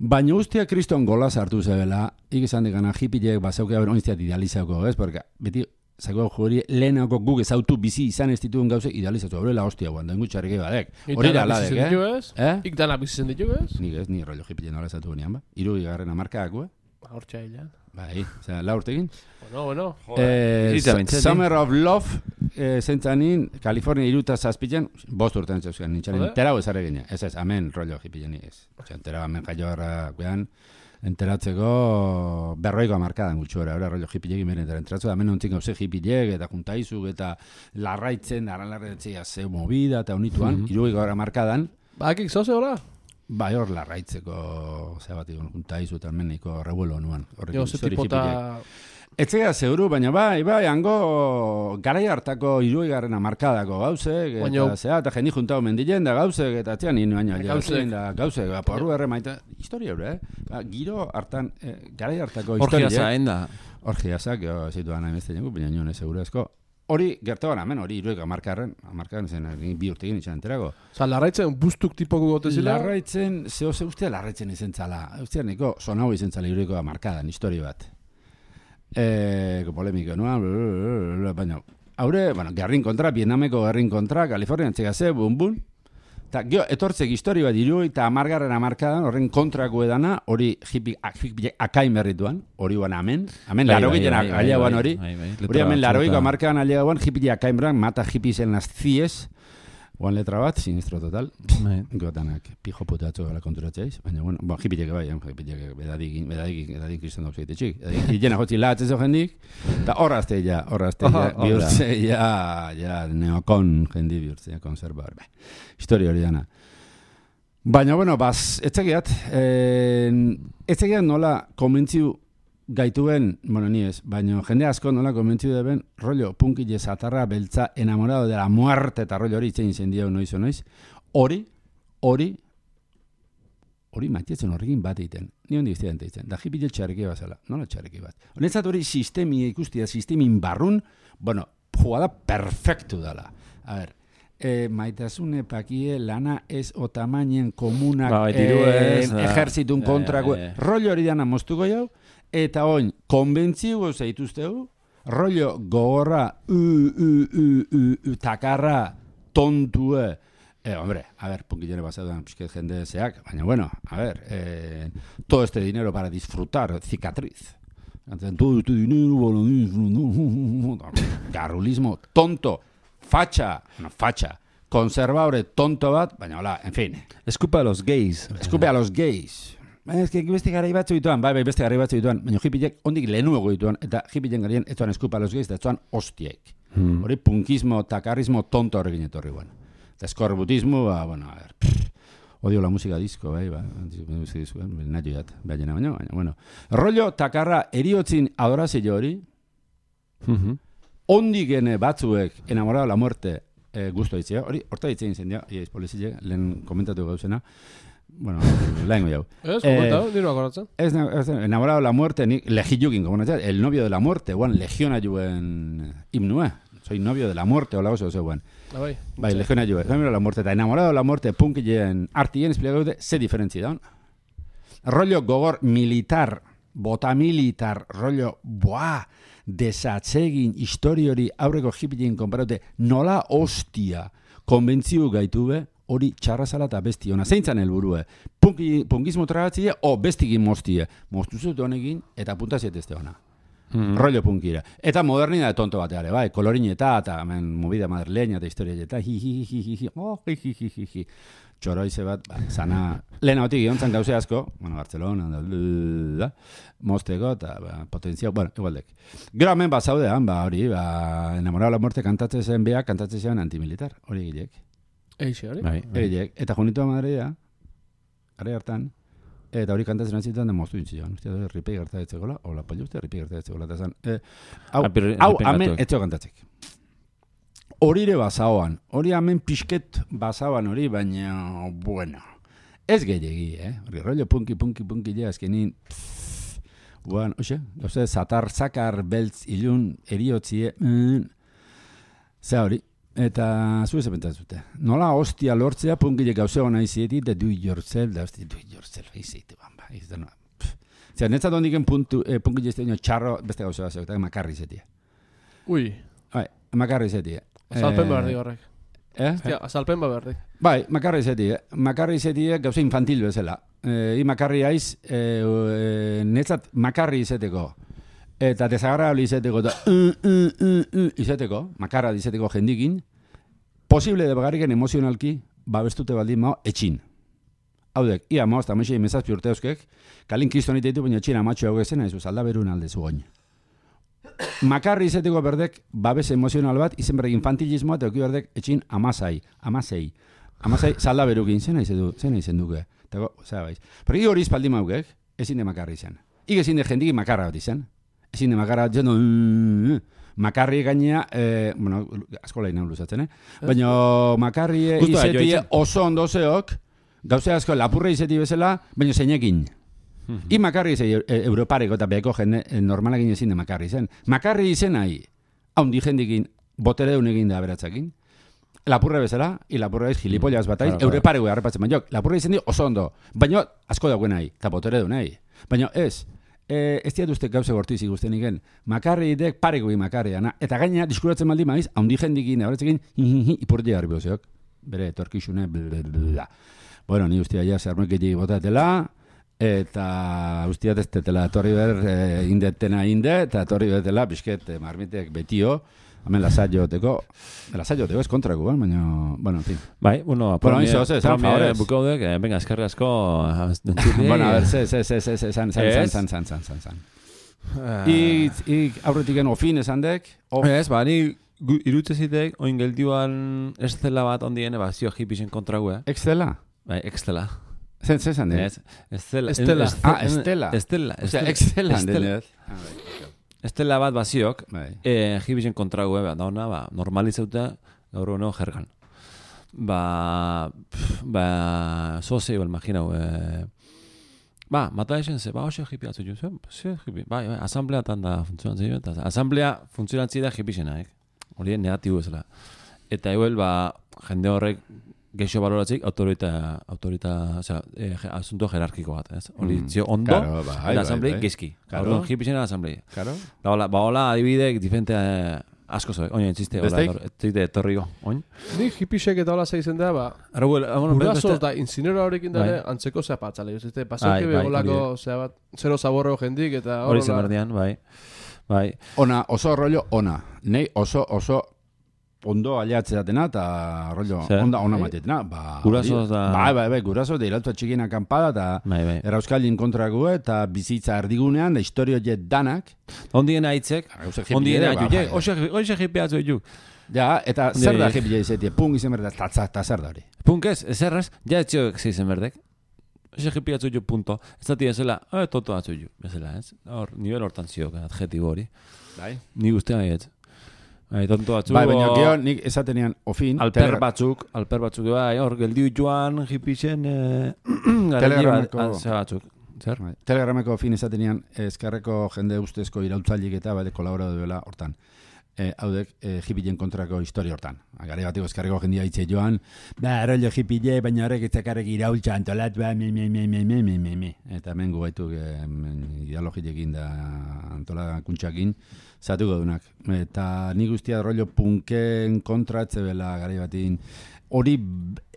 Baina ustia kriston gola sartu zebela, ikizan dikana hippiek bazauke haber oniztiat idealizauko, ez? Porque beti, zako juri, lehenako guk ezautu bizi izan ez dituen gauze idealizatu. Hore la hostia, guan, dain gutxarrik badek. Hori da aladek, eh? eh? Ik danak bizitzen ditu, ez? Nik ez, ni rollo hippien nola ezautu gunean, ba? Iru igarren amarkako, eh? Hortxa hilan. Bai, osea, la urtekin. Bueno, bueno. Eh, bizitza Su- bintzat, Summer of Love, eh, zentzanin, California iruta zazpitzen, bost urtean zeuzkan, nintxanen, Joder. enterau ezare gine. Ez ez, amen rollo hippien ez. Osea, enterau amen jaio harra, guean, enteratzeko berroiko amarkadan gutxora, ora rollo hippiekin beren entera enteratzu, amen ontzin gauze hippiek, eta juntaizuk, eta larraitzen, aranlarretzea ze movida, eta honituan, Mhm. iruiko amarkadan, Bakik zoze hola? bai hor larraitzeko, zea bat egon, juntaizu, eta meniko revuelo nuan. Jo, ze Hori tipota... hippiek. Etzea zeuru, baina bai, bai, hango garai hartako iruigarren amarkadako gauzek, eta Baina- zea, eta jeni juntau mendilen da gauzek, eta atzean nien baina Gauzek. gauzek, da gauzek, ba, porru erre maita, historia hori, eh? Ba, giro hartan, eh, garai hartako Orgia historia. zain da. Orgiazak, jo, zituan nahi beste jengu, baina nion ez segurazko. Hori, gertuan, hemen, hori iruik amarkarren, amarkarren zen, ni bi urtekin izan enterago. Osa, larraitzen bustuk tipoko gote zila? Larraitzen, zeo, ze ustea larraitzen izen zala, ustea niko sonau izen zala iruiko amarkadan, historia bat. Eh, polemiko, no? Baina, haure, bueno, gerrin kontra, Vietnameko gerrin kontra, Kalifornian txegaze, bun, bun. Eta, gero, etortzek histori bat iru eta amargarren amarkadan, horren kontrako edana, hori hippie, hippie akain berrituan, hori guan amen, amen Bai, laro bai, giten bai, bai, aliaguan bai, hori, bai, bai, hori letra amen laroiko batzuetan. amarkadan aliaguan, hippie akain beran, mata hippies en las cies, guan letra bat, sinistro total, Bai. gotanak pijo putatxo gara konturatzeiz, baina, bueno, bon, hippiek bai, hippiek bedadik, bedadik, bedadik kriston dauz egitexik, hilena jotzi lahatzez jendik, eta horrazte ja, horrazte ja, Aha, bihurtze ja, ja, neokon jendi bihurtze, ja, konservar, bai, historia hori dana. Baina, bueno, baz, etzegiat, eh, etzegiat nola konbentziu gaituen, bueno, ni ez, baina jende asko nola konbentziu deben, rollo, punkile zatarra, beltza, enamorado de la muerte, eta rollo hori itzein zen diau noiz o noiz, hori, hori, hori matietzen horrekin bat egiten, ni hondi iztean egiten, da hipile txarriki bazala, nola txarriki bat. Honetzat hori sistemia ikustia, sistemin barrun, bueno, jugada perfektu dala. A ver, eh, maitasune pakie lana ez o tamainen komunak Ba, diru eh, ez, da. ejertzitun Eh, kontrako, eh. rollo hori dana moztuko jau, eta oin, konbentziu zeituzteu, rollo gogorra, u, u, u, u, u, takarra, tontue, Eh, hombre, a ver, punkillone pasaduan pixket jende zeak, baina bueno, a ver, eh, todo este dinero para disfrutar, cicatriz. Todo este dinero para disfrutar. Garrulismo tonto, facha, no, facha, konservadore tonto bat, baina hola, en fin. Escupa a los gays. Eskupe a los gays. Baina ez que beste garai batzu dituan, bai, bai, beste garai batzu dituan, baina hippiek ondik lehenuego dituan, eta hippien garien ez zuan eskupa a los gays, eta ez zuan hostiek. Hmm. Hori punkismo, takarrismo tonto horrekin etorri guen. Eta eskorbutismo, ba, bueno, a ver, pff, odio la música disco, bai, ba, música disco, nahi joat, baina, baina, baina, bueno. Rollo takarra eriotzin adorazio hori, Mhm. ondik ene batzuek enamorado la muerte eh, gusto ditzea, hori, horta ditzen zen, ja, iaiz polizile, lehen komentatu gauzena, bueno, lehen goi hau. Ez, komentatu, nire akoratzen. Ez, ez, enamorado la muerte, nik legiukin, como natzea, el novio de la muerte, guan, legiona juen himnue, soy novio de la muerte, hola oso, oso, guan. Ah, bai. Bai, legiona juen, enamorado de la muerte, eta enamorado de la muerte, punkilleen artien, esplikatu dute, ze diferentzi daun. Rollo gogor militar, bota militar, rollo, buah, desatzegin historiori aurreko hippien konparate, nola hostia konbentziu gaitube, hori txarrazala eta besti ona. Zeintzan helburue, punki, punkismo tragatzie, o bestigin mostie. Mostuzut honekin, eta puntaziet este ona. Mm-hmm. Rollo punkira. Eta modernidade tonto bateare, bai, kolorineta, eta hemen movida madrileña eta historia eta hi hi hi hi hi oh hi hi hi hi hi txoroize bat, ba, sana lehen hautik giontzan gauze asko, bueno, Barcelona da, da mosteko eta ba, potenzial, bueno, igualdek. Gero hemen ba zaudean, ba hori, ba enamorado la muerte kantatzen zen beak, kantatzen zen antimilitar, hori gilek. Eixe, hori? Bai, bai. Gilek, eta junitua Madrida, are hartan, eta hori kantatzen antzitan da moztu intzion. Ustia dut, ripei gertaetzekola, hola paliuste, ripei gertaetzekola, eta zan, eh, hau, Apir- hau, ripei hemen gatuek. etxeo kantatzek. Horire bazaoan, hori hemen pixket bazaoan hori, baina, bueno, ez gehiagi, eh? Hori rollo punki, punki, punki, ja, azkenin, pff, guan, oxe, oze, zatar, zakar, beltz, ilun, eriotzie, mm, ze hori, eta zu ez pentsatute. Nola hostia lortzea punkile gauze hona izieti, da do it yourself, da hostia, do it yourself, izieti, bamba, izieti, no. Zer, netzat hondiken puntu, eh, punkile izte txarro, beste gauze bat zegoetak, makarri izetie. Ui, Bai, makarri izetie. azalpen Eh, behar di horrek. Eh? Hostia, azalpen behar di. Bai, makarri izetie. Makarri izetie gauze infantil bezala. Eh, I makarri aiz, eh, eh, netzat makarri izeteko. Eta desagrable izeteko, eta uh, uh, uh, uh, izeteko, makarra izeteko jendikin, posible de bagarriken emozionalki, babestute baldin mao, etxin. Haudek, ia maoz, eta maixei mezazpi urte euskek, kalin kristonite ditu, baina etxin amatxo hau gezena, ez aldaberun alde zugoin. Makarri izeteko berdek, babes emozional bat, izen berrek infantilismoa, eta euki berdek, etxin amazai, amazei. Amazai, salda berukin, zena izen du, zena izen duke. Eta, zera baiz. Pergi hori izpaldi maukek, ezin de makarri izan. Ig ezin de jendik makarra bat izan. Ezin de makarra bat izan, uh, makarri gainea, eh, bueno, asko lain hau luzatzen, eh? Baina makarri izetie oso ondo zeok, gauze asko lapurre izeti bezala, baina zeinekin. I makarri izan europareko eta beheko jende normalakin ezin de makarri izan. Makarri izan nahi, haundi jendikin, botere egin da beratzakin, lapurre bezala, i lapurre ez gilipollaz bat aiz, europareko harrapatzen, baina lapurre izan di oso ondo, baina asko dagoen nahi, eta botere du nahi. Baina ez, Eh, ez diat uste gauze gortiz ikusten iken. Makarri idek pareko makarri ana. Eta gaina, diskuratzen maldi maiz, haundi jendikin, horretzekin, ipurti garri bozeok. Bere, torkixune, blablabla. Bueno, ni ustia ja zermoiketik botatela, eta ustiat ez tetela torri ber eh, indetena inde, eta torri betela, bisket, eh, marmitek betio, hemen lasaioteko, lasaioteko ez kontrako, baina, bueno, en fin. Bai, bueno, Bueno, izo, ze, zan favorez. bukaudek, eh, venga, eskerri asko. Bueno, a ver, ze, ze, ze, ze, ze, zan, zan, zan, zan, zan, zan, zan. Ik, ik aurretik eno fin esan dek, of... Ez, ba, ni gu- irutze zitek, oin geldioan estela bat ondien, ba, zio hipisen kontragu, eh? Extela? Bai, extela. Zen, ze zan dek? Ez, estela. Estela. Ah, Estela. Estela. Osea, Extela. Estela. Estela bat baziok, Bai. eh, hipisen kontragu, eh, ba, da ona, ba, normalizauta, gaur hono jergan. Ba, pff, ba, zoze, igual, imaginau, eh, ba, mata esen ze, ba, hoxe hipi atzu jo, ze, ze hipi, bai, bai, asambleatan da funtzionatzen jo, eta asamblea funtzionatzi da hipisena, eh? Hori negatibo ezela. Eta igual, ba, jende horrek geixo baloratzik, autorita, autorita, osea, eh, asunto jerarkiko bat, ez? Hori, Mm, zio ondo, claro, bai, eta bai, asamblei bai. gezki. Claro. Hori, hipisena asamblei. Claro. Ba, hola, ba, hola, adibidek, diferente, eh, asko zoe, oin entziste, Besteik? etzite etorriko, oin. Ni hipisek eta hola zeizen da, ba, Arau, bueno, guraso eta incinero horrekin dara Bai. antzeko zea patzale. Ziste, Bai, pasauke bai, begolako, hori zea bat, zero zaborro jendik eta hori horrela. zen berdian, bai. Bai. Ona, oso rollo ona. Nei oso, oso ondo aliatzeatena eta rollo Zer? onda ona Bai. matietena. Ba, Guraso hori- da- Bai, bai, bai, guraso da irautua txikien akampada eta Bai, bai. Erauskaldin kontrago eta bizitza erdigunean da historio jet danak. Ondien aitzek, Gauzak ondien hippie ere, aitzek, ba, bai. hoxe jipeatzu ditu. Ja, eta zer da Ondien- hippie izatea, punk izan berda, tatza, eta zer da hori. Punk ez, ezerraz, ja etxioek zeizen berdek. Hoxe jipeatzu ditu punto. Ez da tira zela, eh, toto atzu ditu, bezala, ez? Hor, nivel hortan ziok, adjetibo hori. Bai. Ni guztia baiet. Bai, tonto batzuk. Bai, baina o- gero nik esatenean ofin. Alper tele- batzuk, alper batzuk, bai, hor, geldiu joan, hipixen, eh, Telegrameko- garaile bat, batzuk. Zer? Bai. Telegrameko fin esatenean eskerreko jende ustezko irautzailik eta bade kolaboratu duela hortan. Eh, haudek eh, hippien kontrako historia hortan. Gare batiko eskerreko jendia hitze joan, ba, rollo hippie, baina horrek etzakarrek iraultza antolat, ba, me, me, me, me, me, me, me, me. Eta hemen gu baituk eh, ideologiekin da antolakuntzakin zatuko dunak. Eta ni guztia rollo punken kontratze bela gare batin hori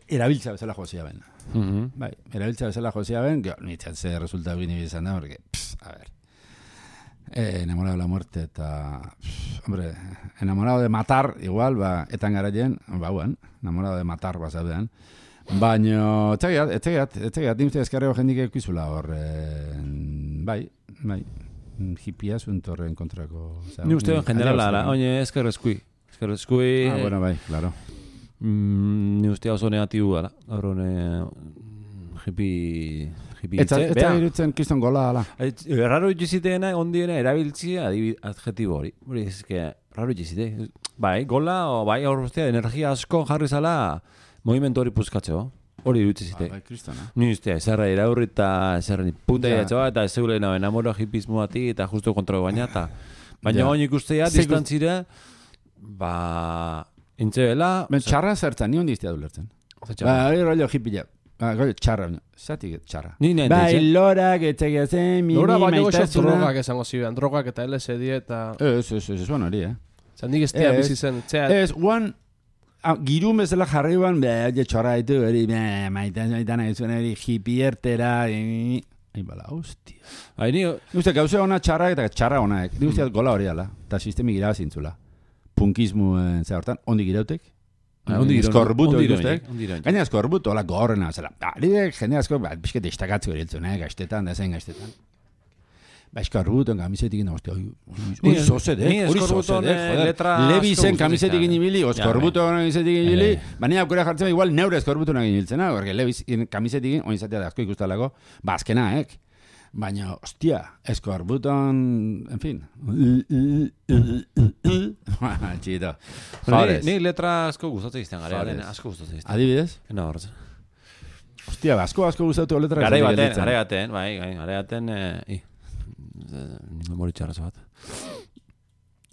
erabiltza bezala jozia ben. Mhm. Bai, erabiltza bezala jozia ben, gero, nitzat ze resulta egin izan da, porque, pff, a ver, eh, enamorado de la muerte eta, pff, hombre, enamorado de matar, igual, ba, etan garaien, ba, huan, enamorado de matar, ba, zaudean, baina, etxegiat, etxegiat, etxegiat, nik uste eskarrego jendik eukizula hor, eh, bai, bai, hippia zuntorren kontrako. Osea, Ni uste ni- en generala, adiauz, ala, oine, eskerrezkui. Eskerrezkui, Ah, bueno, bai, claro. mm, ni uste oso negatibu gara. Gaur hone, hipi, hipi Etza, hitze. etza Bea, irutzen kiston gola, ala. et- erraro itxiziteena, ondiena, erabiltzi adibi- adjetibo hori. Hori, ez que, raro itxizite. Bai, gola, o bai, hor ustea, energia asko jarri zala, movimentu hori puzkatzeo. Hori irutxizite. Bai, kristona. Ni ustea, zerra iraurri eta zerra ni puta Ja. iratxoa eta zeule no, enamoro hipismo bati eta justo kontra baina eta baina Ja. oin ikustea Ze gust- distantzire ba intzebela Ben txarra zertzen, ni hondi iztea dulertzen. Ba, hori rollo hippia. Ba, rollo txarra. Zatik txarra. Ni nahi Bai, enteitzen. lorak, etxegia zen, mimi, Lora baino goxo maitasuna. drogak esango zibean, drogak eta L S D eta... Ez, ez, ez, ez, bueno, hori, eh? Zan nik ez tea Ez. bizi zen, txea... Ez, guan, ah, girun bezala jarri guan, be, oie txorra ditu, hori, be, maitan, maitan, ez hori, hipiertera, e, ai, bala, hostia. Bai, ni Nik uste, gauze ona txarra eta txarra onaek. Nik uste, gola hori ala, eta sistemi gira zintzula. Punkismu, eh, ze hortan, ondi girautek. Ah, ondi giro- Eskorbuto ondi giro- ikustek. ondi giro- Gaina eskorbuto, hola gorrena, zela. Ari jende asko, ba, bizket destakatzu eriltzen, eh, gaztetan, da zen gaztetan. Ba, eskorbuton kamisetik ina, hostia, hori Ni- zozedek, ni hori eskorbuton, zozedek, eh, joder. letra Levi asko zen gustatzen kamisetik zait. ibili, Ja, eskorbuto kamisetik ibili, Eh. baina aukera jartzen igual neure eskorbuto nagin hiltzena, porque Levi kamisetik, oin zatea da asko ikustalako, ba, azkena, ek. Baina, hostia, eskorbuton, en fin. Txito. Ni, Favorez. ni letra asko gustatzen izten gara, Favorez. asko gustatzen izten. Adibidez? Ena hortz. Hostia, ba, asko asko gustatu letra. Garai esatik baten, gelditzen. garai baten, bai, bai, garai baten, eh, i. Ni memori txarrazo bat.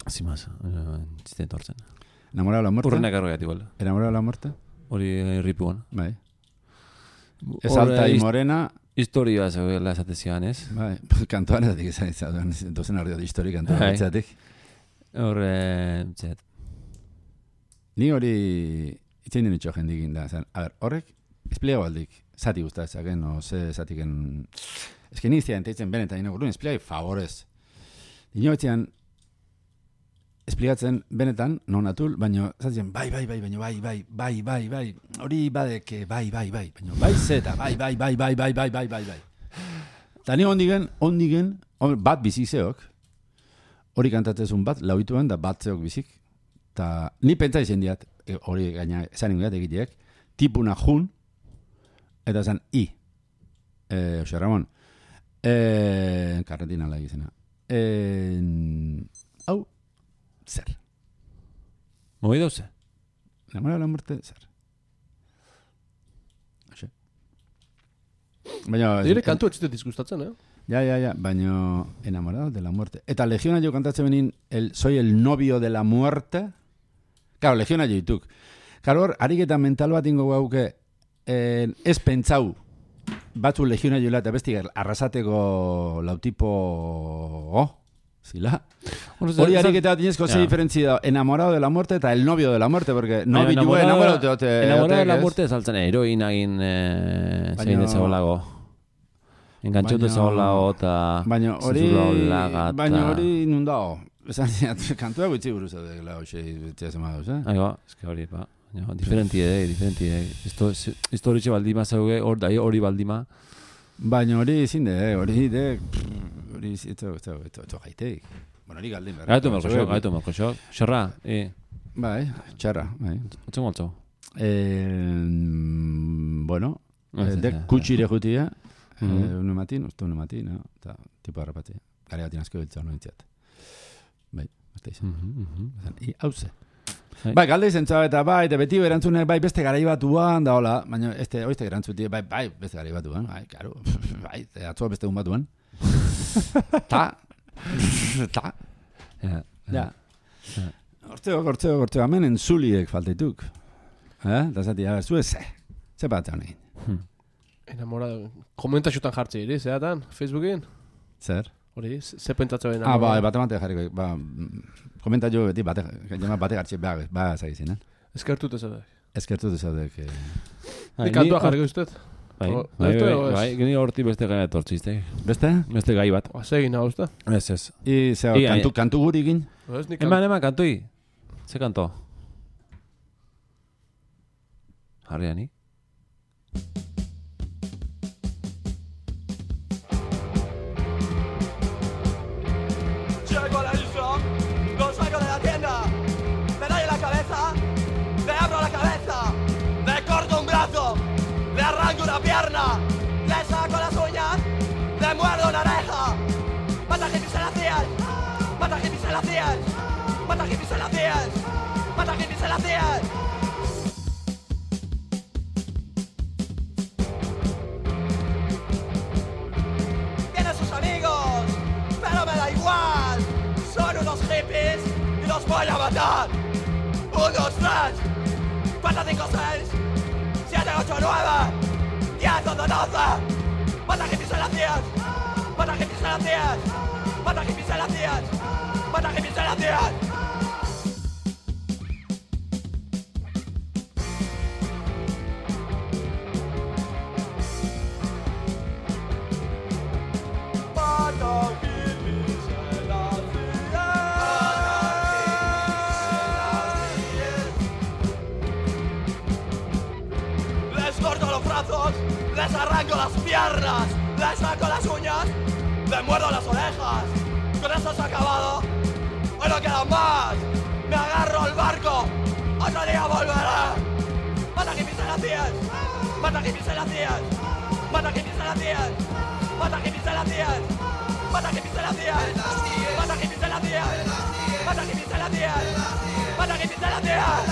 Así más, txiste entortzen. Enamorado de la muerte. Urrenak arroiat igual. Enamorado de la muerte. Hori irripuan. Bai. Ez alta y morena. Historia zegoela esatezian, ez? Bai, kantoan ezatik izan izan, dozen ardio de historia kantoan Bai. etzatik. Hor, eh, zet. Ni hori itzein den itxo jendikin da. Zan, a ver, horrek, espliego aldik, zati gustatzen, o ze zatiken... Ez que ni iztean teitzen benetan, ino gurun, espliego favorez. Dino etzean, esplikatzen benetan, non atul, baina zatzen, bai, bai, bai, baina bai, bai, bai, bai, bai, hori badeke, bai, bai, bai, baina bai zeta, bai, bai, bai, bai, bai, bai, bai, bai, bai. Eta ni ondigen, ondigen, bat bizizeok, hori kantatzezun bat, lauituan, da bat zeok bizik, eta ni pentsa izan diat, e, hori gaina esan ingoiat egiteek, tipuna jun, eta zan i, e, Jose Ramon, e, karretin ala egizena, e, hau, zer. Moi dauze? Enamorado de la muerte, zer. Oxe. Baina... Dire kantu etxite disgustatzen, eh? Ja, ja, ja, baina enamorado de la muerte. Eta Legiona jo kantatzen benin, el, soy el novio de la muerte. Claro, Legiona jo ituk. Claro, hor, ariketa mental bat ingo gauke, eh, ez pentsau, batzu Legiona joela eta besti arrasateko lautipo, oh, zila. Hori ariketa dinezko ze diferentzia da, enamorado de la muerte eta el novio de la muerte, porque novio enamorado, enamorado te enamorado de la muerte saltzen heroina egin eh, zein ezagolago. Engantzatu ezagolago eta baina hori baina hori nundao. Esan ziat, kantua gutxi buruz da, lau, xei, tia zema dauz, eh? Aiba, eske hori, ba. Diferenti ere, diferenti ere. Esto hori baldima zauge, hori baldima. Baina hori zinde, hori de... Hori zito, eto, eto, eto, gaiteik. Bueno, hori galdin berra. Gaitu melko xok, gaitu melko xok. Xerra, e. Bai, txarra, bai. Otzen goltzo. Bueno, dek kutsire jutia, une matin, uste une matin, eta tipo harrapati. Gare batin asko biltza honu intziat. Bai, beste izan. I, hauze. Bai, galde izan txau eta bai, eta beti berantzunek bai beste garai batuan, da hola, baina este oizte gerantzuti, bai, bai, beste garai batuan, bai, karo, bai, atzoa beste un batuan. Ta, ta, ja, hortzeo, hortzeo, hortzeo, hemen entzuliek falteituk. Eh, da zati, a ber, zue ze, ze bat honein. Enamorado, komentaxutan jartzi iri, zeatan, Facebookin? Zer? Hori, ze pentsatzen enamorado? Ah, ba, bate mate jarriko, ba, komenta jo beti bate, jama bate gartxe, ba, ba, zagizien, eh? Eskertut ezadek. Eskertut ezadek. Nik kantua jarriko usted? Bai, bai, bai, gini horti beste gai etortzizte. Beste? Beste gai bat. Segin hau uste? Ez, ez. I, zeo, kantu, kantu guri egin? Eman, eman, kantui. Ze kanto? Harriani? Le saco las uñas, le muerdo una oreja. Mata hippies en las cías, mata hippies en las cías, mata hippies en las cías, mata hippies en las cías. Tienen sus amigos, pero me da igual. Son unos hippies y los voy a matar. Un, dos, tres, cuatro, cinco, seis, siete, ocho, nueve. diez, once, doce. Mata hippies en las cías. Mata hippies en las cías. Mata hippies en las cías. Mata hippies en las cías. Les arranco las piernas, les saco las uñas, les muerdo las orejas. Con esto se ha acabado, hoy no queda más. Me agarro al barco, otro día volveré. Mata hippies en las cías, mata hippies en las cías, mata hippies en las cías, mata hippies en las cías, mata hippies en las cías, mata hippies en las cías, mata hippies en las cías, mata hippies en las cías.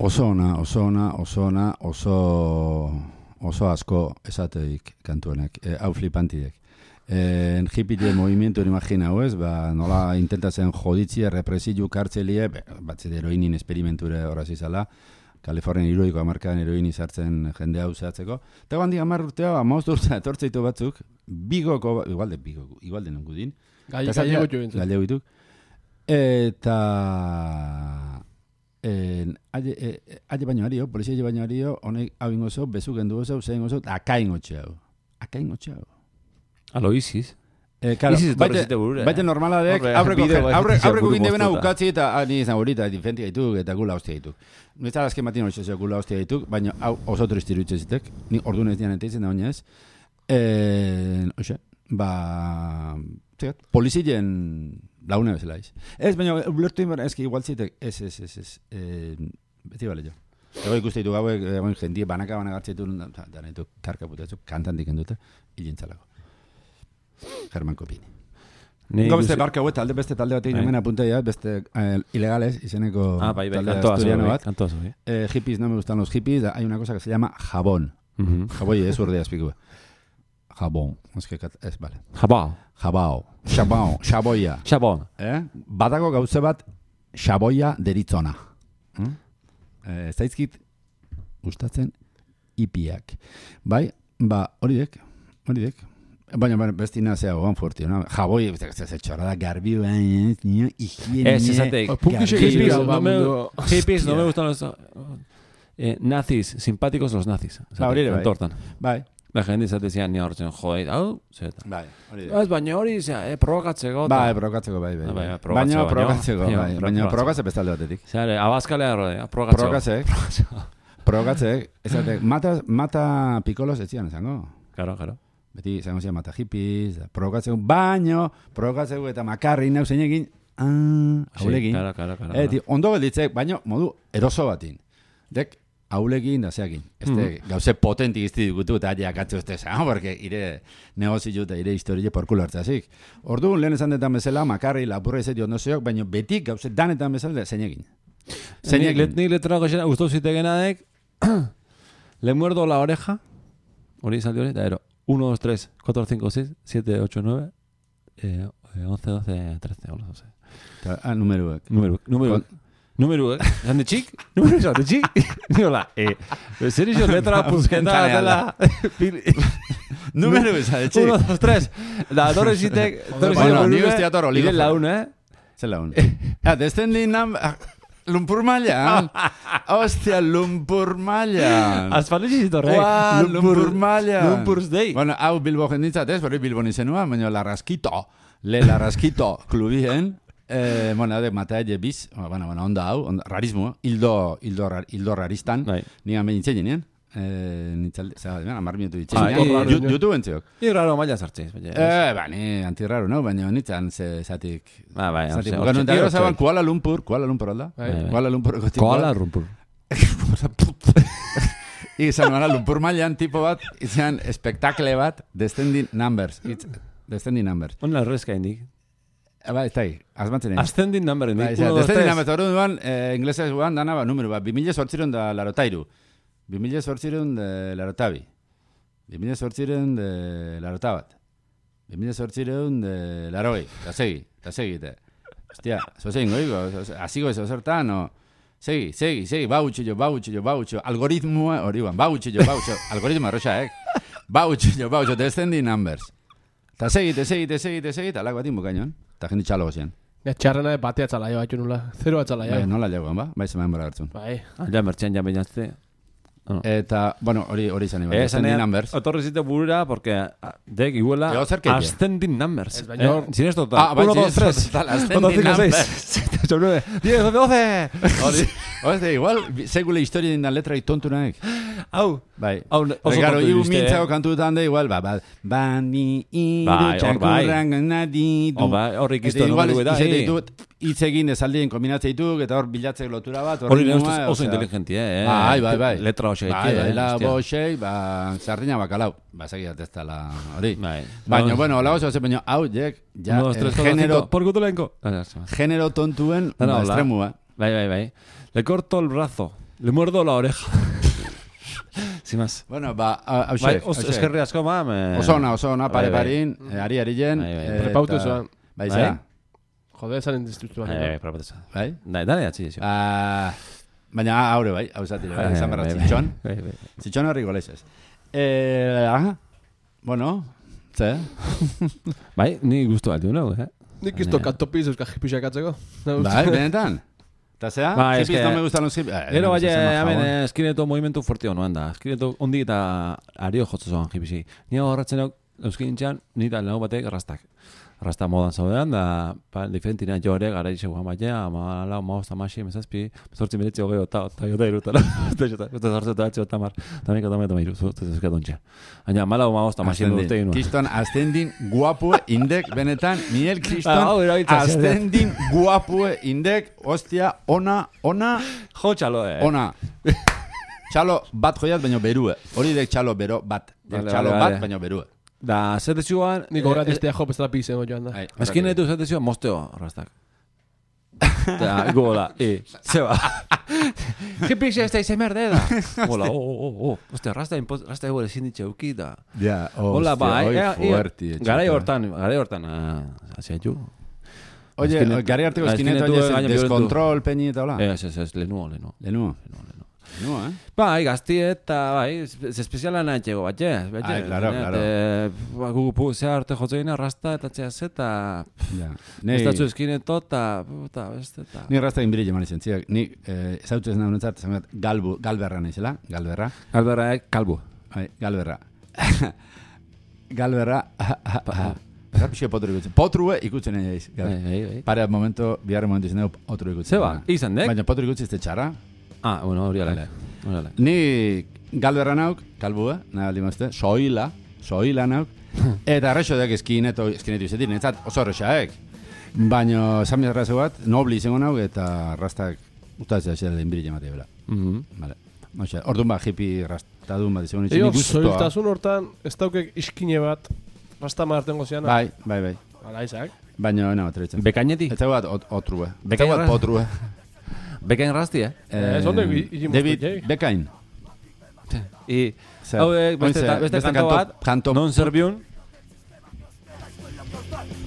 Oso ona, oso ona, oso ona, oso, oso asko esateik kantuenek, e, hau flipantiek. En hippie movimiento imagina, ez? Ba, nola intentatzen joditzia, represiu kartzelie, batzet heroinin esperimenture horaz izala, Kalifornian iruiko amarkadan heroini sartzen jende hau zehatzeko. Eta gandik amar urtea, amaost urtea etortzeitu batzuk, bigoko, igual de bigoko, igual de nengudin. Gallego bintzen. Gallego bituk. Eta... En, aile, e, aile baino hario, polizia aile baino hario, honek hau ingozo, bezuken du oso, zein oso, akain gotxe hau. Akain gotxe hau. Alo, iziz. Eh, claro, baite, baite normala dek, aurreko ginde bena ukatzi eta ni izan horita, difenti gaituk eta gula hostia gaituk. Nuetzat azken batin hori zezio gula hostia gaituk, baina hau oso tristiru itxezitek, ni orduan ez dian enteitzen da oinez. Eh, oxe, ba, zegat, polizien... Laune bezala iz. Ez, baina, ulertu inbar, ez ki igual zitek, ez, ez, ez, ez, eh, beti bale jo. Ego ikuste ditu gauek, egon jendie banaka banagartze ditu, da nahitu karka putetzu, kantan diken dute, hilintzalako. German Kopini. Gau beste barka huet, talde beste talde bat egin hemen apunteia, beste ilegales, izeneko talde asturiano bat. Hippies, no me gustan los hippies, hay una cosa que se llama jabón. Jaboi, ez urdea espiku. Jabón, es que, ez, vale. Jabao. Jabao, xabao, xaboia. Xabon. Eh? Badago gauze bat xaboia deritzona. Hmm? Eh, zaizkit gustatzen hipiak. Bai, ba, hori dek, hori dek. Baina, baina, bestina zea gogan fuertio, no? Jaboi, ez txorrada garbi, baina, higiene... Ez, esateik. Hippies, no me, hippies, no me gustan los... Eh, nazis, simpáticos los nazis. Ba, hori ere, bai. Entortan. Bai. Da jende izatezian ni hortzen, jode, hau, zeta. Bai, hori dek. Ez, baina hori, zera, eh, provokatzeko. Bai, provokatzeko, bai, bai. Baina, Baina, provokatzeko, provokatzeko, baina, bai. Baina, provokatze bestalde batetik. Zare, abaskalea rodea, provokatzeko. Provokatzeko. Provokatzeko. Esatek, mata, mata pikolos etzian, esango? Claro, claro. Beti, zango zian, mata hippies, provokatzeko, baino, provokatzeko eta makarri nau zein egin, ah, haulegin. Claro, claro, claro. Eti, ondo gelditzek, baino, modu eroso batin. Dek, haulegin da zeakin. Este, mm. gauze potenti izti digutu eta aia akatzu este esan, porque ire negozio eta ire historie porkulo hartzazik. Orduan, lehen esan detan bezala, makarri, lapurra izeti ondo zeok, baino betik gauze danetan bezala zein egin. Zein egin. Ni letra goxena, guztu zitegenadek, le muerdo la oreja, hori izaldi hori, da ero, uno, dos, tres, cuatro, cinco, seis, siete, ocho, nueve, eh, once, doce, trece, hola, doce. Ah, numeruak. Numeruak. Numeruak. Numeruak. Zan de txik? Numeruak, de txik? Niola, eh, zer iso letra puzketa dela... Numeruak, zan de txik? Uno, dos, tres. Da, torre zitek... Bueno, ni guztia toro, ligo. Ire laun, eh? Zer laun. Ah, desten din nam... Lumpur Mailan. Hostia, Lumpur Mailan. Azpalezi zitorre. Ua, Lumpur Mailan. Lumpur's Day. Bueno, hau Bilbo jenditzat ez, bori Bilbo nizenua, baina Larraskito, le Larraskito klubien, eh, bueno, de Mataelle biz, bueno, bueno, onda hau, onda, rarismo, hildo, hildo, hildo raristan, nigan behin itzen nien, eh, nitzalde, zara, amar minutu itzen nien, YouTube entziok. Irraro maila zartziz. Eh, ba, ni antirraro, no? Baina nitzan ze zatik... Ah, bai, zatik, bueno, eta gero zaban Kuala Lumpur, Kuala Lumpur alda? Kuala Lumpur egotiko. Kuala Lumpur. Izan gara, Lumpur Mailan tipo bat, izan espektakle bat, Descending Numbers. It's Descending Numbers. Hona errezka indik. Ba, ez da, azmantzen egin. Ascending Number indik. Descending Numbers, hori duan, inglesez guan, dana, ba, numero bat, bimila sortziron da larotairu. bimila sortziron de larotabi. bimila sortziron de larotabat. bimila sortziron de laroi. Ta segi, ta segi. Hostia, zo zein goigo, azigo ez ozertan, o... Segi, segi, segi, bautxillo, bautxillo, bautxillo, algoritmoa, hori ban, bautxillo, bautxillo, algoritmoa arroxa, eh? Bautxillo, bautxillo, Descending Numbers. Ta segi, te segi, te segi, te segi, talak batin bukainoan. Ta jendi txalo gozian. Ja, txarrena batea txala jo, haitu nula. Zero atxala jo. Bai, nola jagoan, ba? Bai, zeman bora hartzun. Bai. Ja, mertxean ja behinazte. Eta, bueno, hori hori izan iba, Descending Numbers. Otorri zite burura, porque dek iguela Ascending Numbers. Sin esto, ah, uno, dos, tres. Ascending Numbers. ocho, nueve, diez, doce. Hori, igual, segule historia dindan letra itontu naek. Hau. Bai. Hau, oso Garo, iu mintzao kantutan da, igual, ba, ba, bani, iru, txakurran, nadi, du. Horrik izto, numeru eta, hitz egin ezaldien kombinatzea dituk, eta hor bilatzek lotura bat. Hori nire oso inteligenti, eh? Bai, bai, bai. Letra hoxe. Bai, bai, la boxei, ba, sardina bakalau. Ba, segiat ez tala hori. Baina, bueno, hola oso, baina, hau, jek, ja, genero... Porkutulenko. Genero tontuen, estremua. Bai, bai, bai. Le corto el brazo, le muerdo la oreja. Sin más. Bueno, ba, hauxe. Eskerri asko, ma. Osona, osona, pare parin, ari ari jen. Prepautu zoan. Bai, zera. Jode, zaren distructua. Bai, prepautu zoan. Bai? Dale, atzi, xo. Baina, haure, bai, hau zatire, bai, izan berra, zitxon. Zitxon horri goleixez. Aha, bueno, ze? Bai, ni guztu bat, no, eh? Nik izto kantopiz euskal jipixak atzeko. Bai, benetan. Eta zea, ba, hippies no me gustan los hippies. Gero, bai, hemen, eskineto movimentu fuertio noan da. Eskineto ondi eta ario jotzu zoan hippiesi. Ni horretzen hau, euskin txan, nita lehenau batek rastak. Rasta modan zaudean, da, pa, diferentina jo ere, gara izan batea, ama lau, ma hosta masi, mesazpi, zortzi meretzi hogei, eta jota irutara. Eta zortzi eta batxe, eta mar, eta mika eta mairu, zortzi ezka dontxe. Aina, ma lau, ma hosta masi, urte inua. Kriston, ascending guapue indek, benetan, Miel Kriston, ascending guapue indek, hostia, ona, ona, jo txalo, eh. Ona. Txalo bat joiat, baino berue. Hori dek txalo bero bat. Txalo bat, baino berue. Da, zete zioan... Nik horret estea jo pestela pizen joan da. Eskin etu zete zioan mosteo, rastak. Eta, gola, e, zeba. Hipix ez da izen merde da. Hola, oh, oh, oh, oh. Ostia, rasta egore zinditxe euki da. Ja, hostia, hoi fuerti. Garai hortan, garai hortan, hasia ju. Oye, gari harteko eskinetu deskontrol, peñi eta hola. Ez, ez, ez, lenuo, lenuo. Lenuo. No, eh? Bai, gazti eta, bai, espeziala nahi txego bat, ez? Ai, claro, claro. Gugu zea arte jotzeina, rasta eta txea zeta, Ja. estatzu eskineto, eta, puta, beste, eta... Ni rasta inbiri jeman izan ziak. Ni eh, zautu ez nahi honetzat, zangat, galbu, galberra naizela, galberra. Galberra, kalbu. Bai, galberra. galberra, Eta pixka potru ikutzen. Potrue ikutzen egin eiz. Bai, bai, bai. Pare momento, biharre momentu izan dugu otru ikutzen. Zeba, izan dek? Baina potru ikutzen ez txarra. Ah, bueno, hori alek. Ni galberra nauk, kalbua, nahi aldi mazte, soila, soila nauk, eta arrexo dek eskineto, eskinetu izetik, netzat oso arrexaek. Baina, esan bizarra bat, nobli izango nauk, eta rastak ustatzea xera den biri jematea bela. Vale. Oxe, orduan bat, hippie rastadun bat izango nintzen, Ego, nik gustoa. zoiltasun hortan, ez daukek iskine bat, rasta martengo zian. Bai, bai, bai. Ala, izak. Baina, no, atretzen. Bekaineti? Eta bat, ot, otrue. Eta Bekain bat, erra- potrue. Bekain rasti, eh? Ez ondo, igimoztu David jai. Bekain. I, Zer? hau, eh, beste, Ointze, beste beste kanto kanto- bat, kanto- non zerbiun,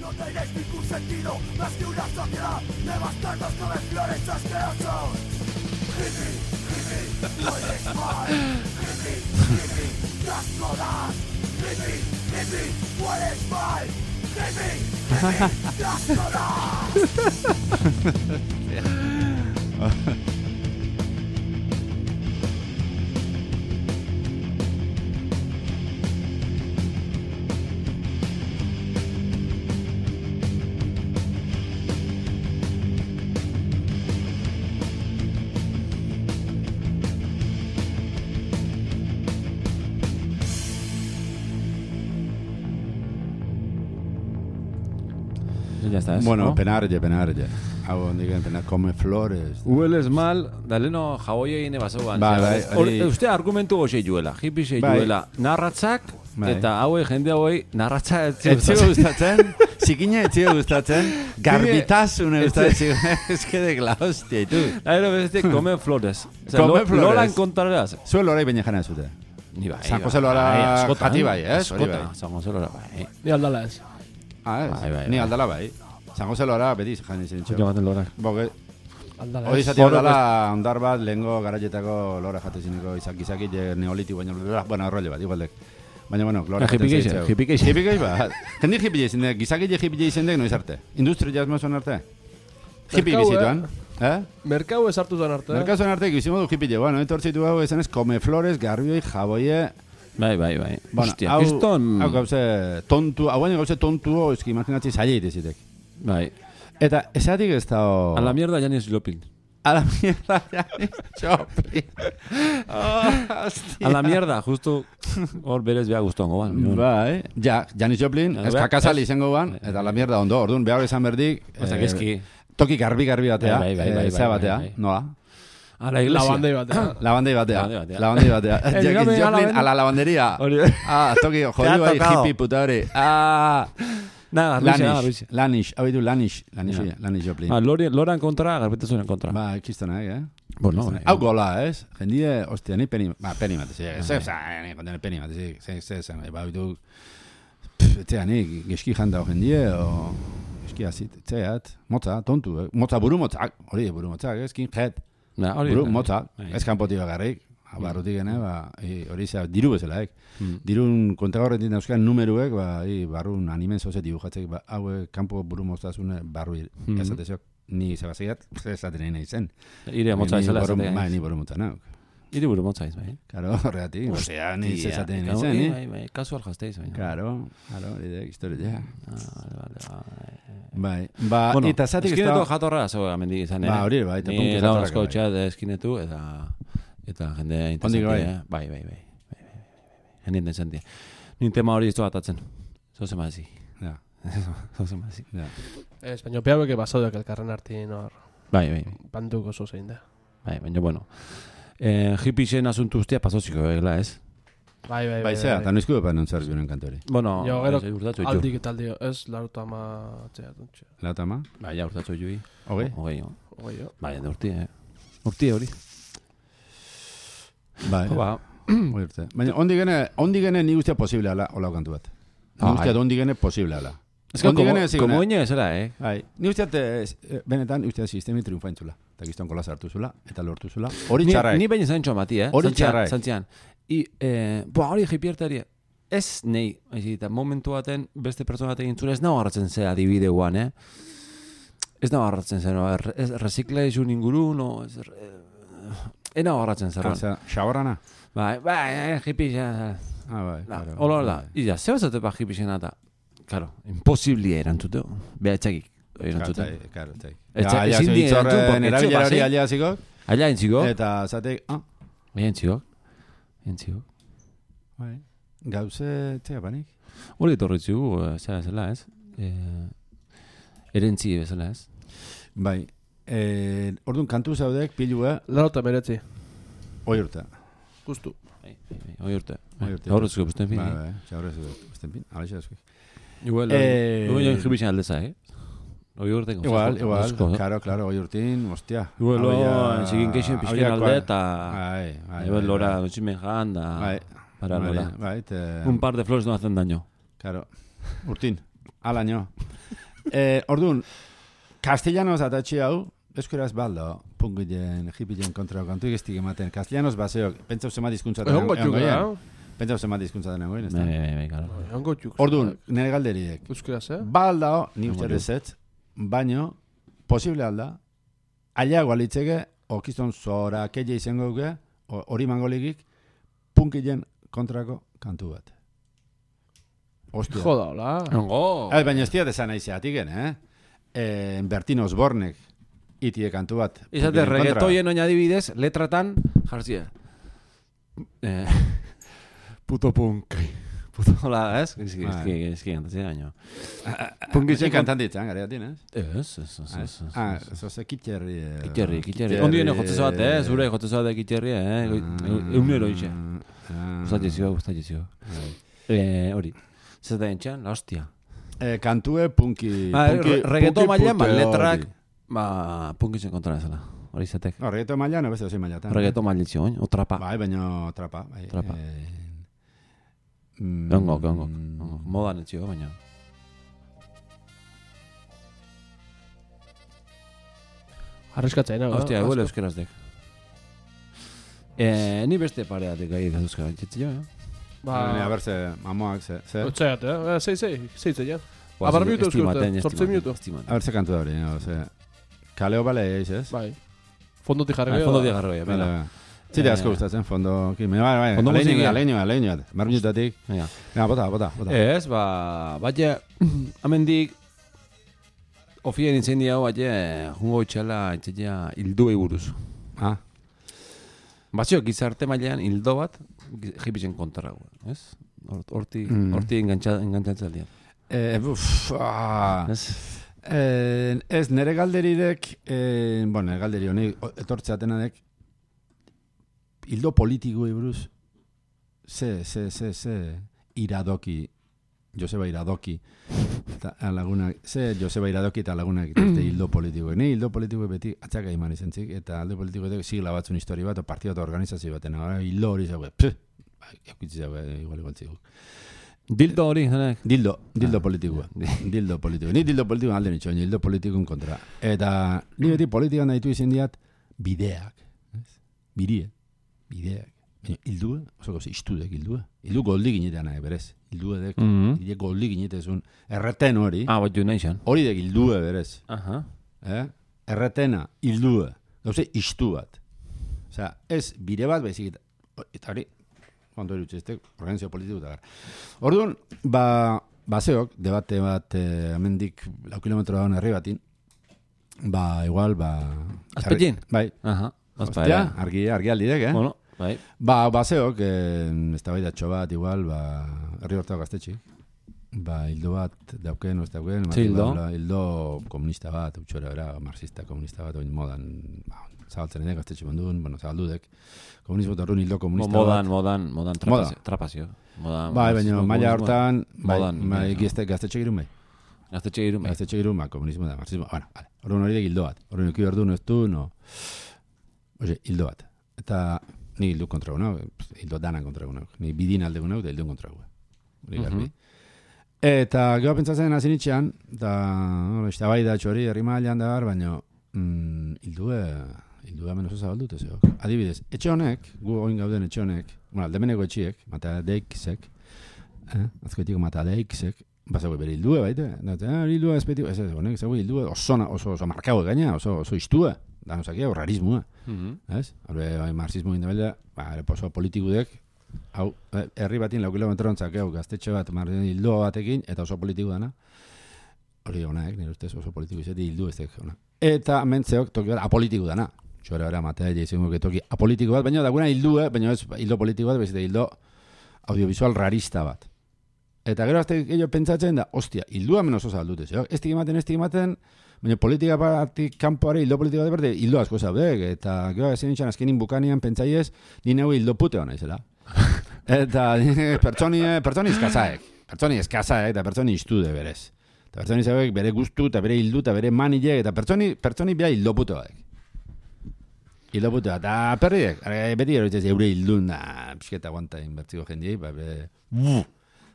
No tenéis ningún sentido más que una sociedad de bastardos come flores asquerosos. Hippie, hippie, no eres mal. Hippie, hippie, das todas. Hippie, hippie, no eres mal. Hippie, hippie, das todas. ya está, ez? Bueno, no? penarlle, penarlle. Hau ondigen, penar, come flores. Hueles mal, daleno jaboi egine basoan. Bai, bai, hori- Uste argumentu goxe juela, hippie xe Bai. juela, narratzak, Bai. eta hauei, jende hauei, narratza etzi Etxio gustatzen, zikina etxio gustatzen, garbitasune gustatzen, ez que de la hostia, y tu. Aero beste, come flores. Osea, Come lo- flores. Lolan kontraraz. Zuen lorai baina jana zute. Ni bai. San bai, Jose Lora bai, askotan, jati bai, ez? Hori askotan, bai. San Jose Lora, bai. Ni aldala ez. Ah, ez? Bai, bai, Ni bai. aldala bai. San Jose Lora beti jani zen Jo baten lorak. Boge, Aldala hori ez. zati aldala ondar bat, lehengo garaietako lora jate zineko izak izaki neoliti baina, bueno, arroile bat, igualdek. Baina, bueno, lora Ah, hippie jaten geixe, zaitzeu. hippie geixe. Hippie geixe bat. Jendi hippie izan dek, gizaki hippie izan dek noiz arte. Industria jazmozuan arte. Hippie Merkau, bizituan. Eh? Merkau ez hartu zan arte. Merkazuan arte gizimo du hippie. Bueno, etortzitu hau esan ez, come flores, garbioi, jaboie. Bai, bai, bai. Bueno, Hostia, hau, kriston... hau gauze tontu, hau baina gauze tontu, eski imaginatzi zaila itezitek. Bai. Eta esatik ez da... A la mierda Janis Joplin. A la mierda, Janis Joplin. Oh, hostia. A la mierda, justo hor berez beha guztuango ban. Bai, ja, Janis Joplin, Ja, ez beha- kakasali ez- izango ban, eta la mierda ondo, orduan behar izan berdik... Osea, eh, eski. Toki garbi-garbi batea, Bai, bai, bai, bai, eh, zea bai, batea, bai. noa? A la iglesia. Labandei batean. Lavandei batea, Lavandei batea. lavandei batea. Eh, Janis dígame, a la Joplin ven- a la lavanderia. Hori. Ah, toki, Te ha jodiu bai, tocado. hippie puta hori. Ah, Nada, Rusia, nada, Lanish, Rusia. Lanish, hau ditu Lanish, Lanish, Ja. Lanish Joplin. Ah, Lori, Loran kontra, garbetazunen kontra. Ba, kistonak, eh? Bueno, Kistonak. bai. Hau gola, ez? Jendie, ostia, ni peni, ba, peni bat, ez, ez, ez, ni kontene peni bat, ez, ez, ez, ez, ba, ditu, etzea, ni, geski janda o jendie, o, geski azit, etzeat, motza, tontu, eh? Motza, buru motzak, hori, buru motzak, ez, skinhead, Na, hori. buru bai. motzak, Bai. ez kanpoti bakarrik, barrutik gene, ba, i, hori zea, diru bezala, ek. Mm. Dirun kontagorretik dauzkan numeruek, ba, i, barrun animen zoze dibujatzek, ba, haue, kanpo buru moztasune, barru, Mhm. esatezok, ni zebaziat, esaten nahi zen. Ire motza Ni izela boru- esatea. Bai, ni boru motza nauk. Ire buru motza iz, bai. Karo, horregatik, osea, ni Hostia, esaten eta nahi zen, hori, ni? Bai, bai, kasual jazteiz, bai. Karo, karo, hori historia. Ah, vale, vale, vale. Bai, ba, Bueno, eta zatik ez eskinetu da... jatorra zego amendik izan, eh? Ba, hori, bai, eta Ni puntu laun jatorrak, asko bai. txat eskinetu, eta eta jende bai? interesantia. Bai, bai, bai. bai, bai, bai. Jende interesantia. Ni tema hori ez atatzen. Zoze mazi. Ja, Zoze mazi. ja. Ez, baina peauek basaudak elkarren artin hor. Bai, bai, bai. Banduko oso zein da. Bai, baina bueno. Eh, hippien asuntu ustia pasoziko egela, ez? Bai, bai, Bai, zera, eta noizko epan nontzar biunen kantori. Bueno, Jo, gero, ez, urtatxo ditu. aldik eta aldi, ez, laruta ama atzea duntxe. Lauta ma? Bai, ja, urtatxo jui. Hogei? Hogei, jo. Ogoi, jo. Bai, ende urti, eh? Urti hori. Bai, Ba, hori urte. Baina, ondi gene, ondi gene ni guztia posible ala, hola kantu bat. Ni Ah, guztia ai. ondi gene posible ala. Ez que, como oine bezala, eh? Bai, ni usteat, benetan, usteat sistemi triunfaintzula. Eta gizton kola sartu zula, eta lortu zula. Hori txarraek. Ni baina zantxo mati, eh? Hori txarraek. Zantzian. I, eh, boa, hori jipiertari, ez nei, eta momentu baten, beste pertsona batekin zure, ez nago harratzen zera adibideuan, eh? Ez nago harratzen zera, no? Ez rezikla izun inguru, no? Ez, ez nago harratzen zera. Oza, xaborrana? Bai, bai, jipixen. Ah, bai. Hola, hola. Iza, zeba zate pa jipixen eta, claro, imposiblia erantzuteo, beha etxakik. Claro, claro, claro. Ezin dien erantzun, erabilera hori alia zikok. Alia entziko. Eta zatek, ah. Alia entziko. Entziko. Bai. Gauze, txea panik. Hori etorritzu, zera bezala ez. Erentzi bezala ez. Bai. Orduan, kantu zaudek, pilua. Larota meretzi. Oi urte. Justu. Oi urte. Gaur ezko busten fin. Bai, bai. Gaur ezko busten fin. Hala ezko. Igual, igual joan jibizien aldeza, eh? Oi urte. Igual, igual. Claro, claro, oi urtin, hostia. Igual, entzigin keixen pixken alde, eta... Bai, bai. Igual, lora, dutximen jan, da... Bai. Para, lora. Bai, te... Un par de flores no hacen daño. Claro. Urtin. Al año. Eh, orduan, castellanos atatxi hau, eskueraz baldo, pungilen, hipilen kontra kantu egiztik ematen. Castellanos baseo, pentsau zema dizkuntza den goien. Pentsau zema dizkuntza den goien, ez da? Bai, bai, bai, claro. Orduan, nire galderiek. Euskaraz, eh? Baldao, ni uste rezetz, baino, posible alda, aliago alitzeke, okizton zora, keia izango duke, hori mangoligik, punkilen kontrako kantu bat. Ostia. Joda, hola. Ongo. Baina ez diat esan aizeatiken, eh? Bertin Osbornek itie kantu bat. Izate, reggaetoien oin adibidez, letratan, jarzia. Eh, puto punk. Puto, hola, ez? Ezki, ezki, ezki, gantatzea gaino. Punkitzen kantan ditzen, gare atin, ez? Ez, ez, ez, ez. Ah, zoze kitxerri. Kitxerri, kitxerri. Ondien jotzezo bat, eh? Zure jotzezo bat kitxerri, eh? Eunero ixe. Gustatizio, gustatizio. Hori. Zer da entxan, la hostia. Kantue punki... Reggaeto mailan, ba, letrak... Ba, punkitzen kontra ezala. Hori zatek. No, reggaeto mailan, no beste ozi mailatan. Reggaeto mailitxio, oin, o trapa. Bai, baina trapa. Trapa. Ongo, ongo. Modan etxio, baina. Arriskatzen, no? Hostia, eguel euskerazdek. Ni beste pareatek gai dazuzka bantzitzio, eh? Ba... A ber, ze, mamoak, ze... Otzaiat, eh? Zei, zei, zei, zei, ja. Abar minutu euskurte, sortze minutu. A ber, ze kantu da hori, ze... Kaleo bale eiz, ez? Bai. Fondo ti jarri. Fondo ti jarri, venga. Zite asko gustatzen, fondo... Bai, bai, aleinu, aleinu, aleinu, mar minutatik. Venga, bota, bota, bota. Ez, ba... Baina, amendik... Ofien intzen hau, baina, jungo itxala, itxela, hilduei buruz. Ah. Bazio, gizarte mailean hildo bat, jipitzen kontra, ez? Horti, horti engantzatzen aldean. Eh, buf, ah... Eh, ez, nere galderidek, eh, bueno, nere galderi honi, etortzeatenadek, hildo politikoei buruz, ze, ze, ze, ze, iradoki, Joseba Iradoki, eta lagunak, ze Joseba Iradoki eta lagunak dituzte hildo politikoek. Ne hildo politikoek beti atzaka iman izan zik, eta alde politikoek sigla batzun histori bat, o partio bat organizazio baten, hildo hori zago, pff, eukitzi zago, igual igual ziguk. Dildo hori, zanek? Dildo, dildo politikoa. Dildo politikoa. Ni dildo politikoa alde nitxo, hildo politikoen kontra. Eta ni beti politikan nahitu izan diat bideak. Birie, bideak. Hildua, oso gozi, istudek hildua. Hildu goldi ginetean nahi, berez. Hildua dek, hildua goldi ginetezun. Erreten hori. Ah, bat jo nahi zan. Hori dek hildua, berez. Aha. Eh? Erretena, hildua. Gauze, istu bat. Osea, ez bire bat bezik. Eta hori, kontu erutxe, ez organizazio politiko eta gara. Orduan, ba, baseok, debate bat, eh, amendik lau kilometro dagoen herri batin, ba, igual, ba... Azpetien? Bai. Aha. Ostia, argi, argi aldidek, eh? Bueno, bai. Ba, baseok, eh, ez da bai datxo bat, igual, ba, herri hortako gaztetxi. Ba, hildo bat, dauken, ez dauken. Zi, hildo? Hildo komunista bat, utxora, era, marxista komunista bat, oin modan, ba, zabaltzen edek, gaztetxe bandun, bueno, zabaldudek. Komunismo eta horren hildo komunista modan, bat. Modan, modan, trapazio. trapazio. Modan, bai, baina, maila hortan, bai, modan, bai, gaztetxe girun bai. Gaztetxe girun bai. Gaztetxe girun, ba, komunismo eta marxismo, bueno, vale. Horren hori dek hildo bat. Horren eki behar du, no ez du, no. Oye, hildo bat. Eta ni hildu kontra gunau, hildo danan kontra gunau. Ni bidin alde gunau, eta hildu kontra gunau. Hori garbi. Eta gero pentsatzen hasi nitxean, eta bai da txori herri mailan da bar, baina mm, hildue, hildue hemen oso zabaldute zeok. Adibidez, etxe honek, gu oin gauden etxe honek, bueno, aldemeneko etxiek, Matadeikzek, eh? azkoetiko Matadeikzek, bazago bere hildue baite, eta hildue espetiko, ez ez, honek, zago hildue oso, oso, oso markago gaina, oso, oso iztue, da nozakia, horrarismoa, mm-hmm. ez? Horre, bai, marxismo indebelda, ba, oso politikudek, hau, herri batin lau kilometrontzak, hau, gaztetxe bat, marren hildo batekin, eta oso politiku dana. Hori honaek, nire ustez oso politiku izati hildu ez dek. Eta mentzeok toki bat apolitiku dana. Txore hori amatea izango toki apolitiku bat, baina daguna hildu, eh? Baina ez hildo politiku bat, bezite hildo audiovisual rarista bat. Eta gero azte gehiago pentsatzen da, ostia, hildua hemen oso zaldute, zeo? Ez ematen, ez ematen, baina politika batik kanpoare hildo politika bat berde, hildo asko zaudek, eta gero ezin nintzen azkenin bukanian pentsaiez, nire hau hildo pute hona izela. Eta pertsoni, pertsoni eskazaek, pertsoni eskazaek eta pertsoni iztude berez. Eta pertsoni zauek bere guztu eta bere hildu eta bere manilek eta pertsoni, pertsoni bea hildo pute batek. Hildo pute bat, eta perriek, beti eroitzez eure hildun da, pixketa guanta inbertziko jendiei, ba, bere,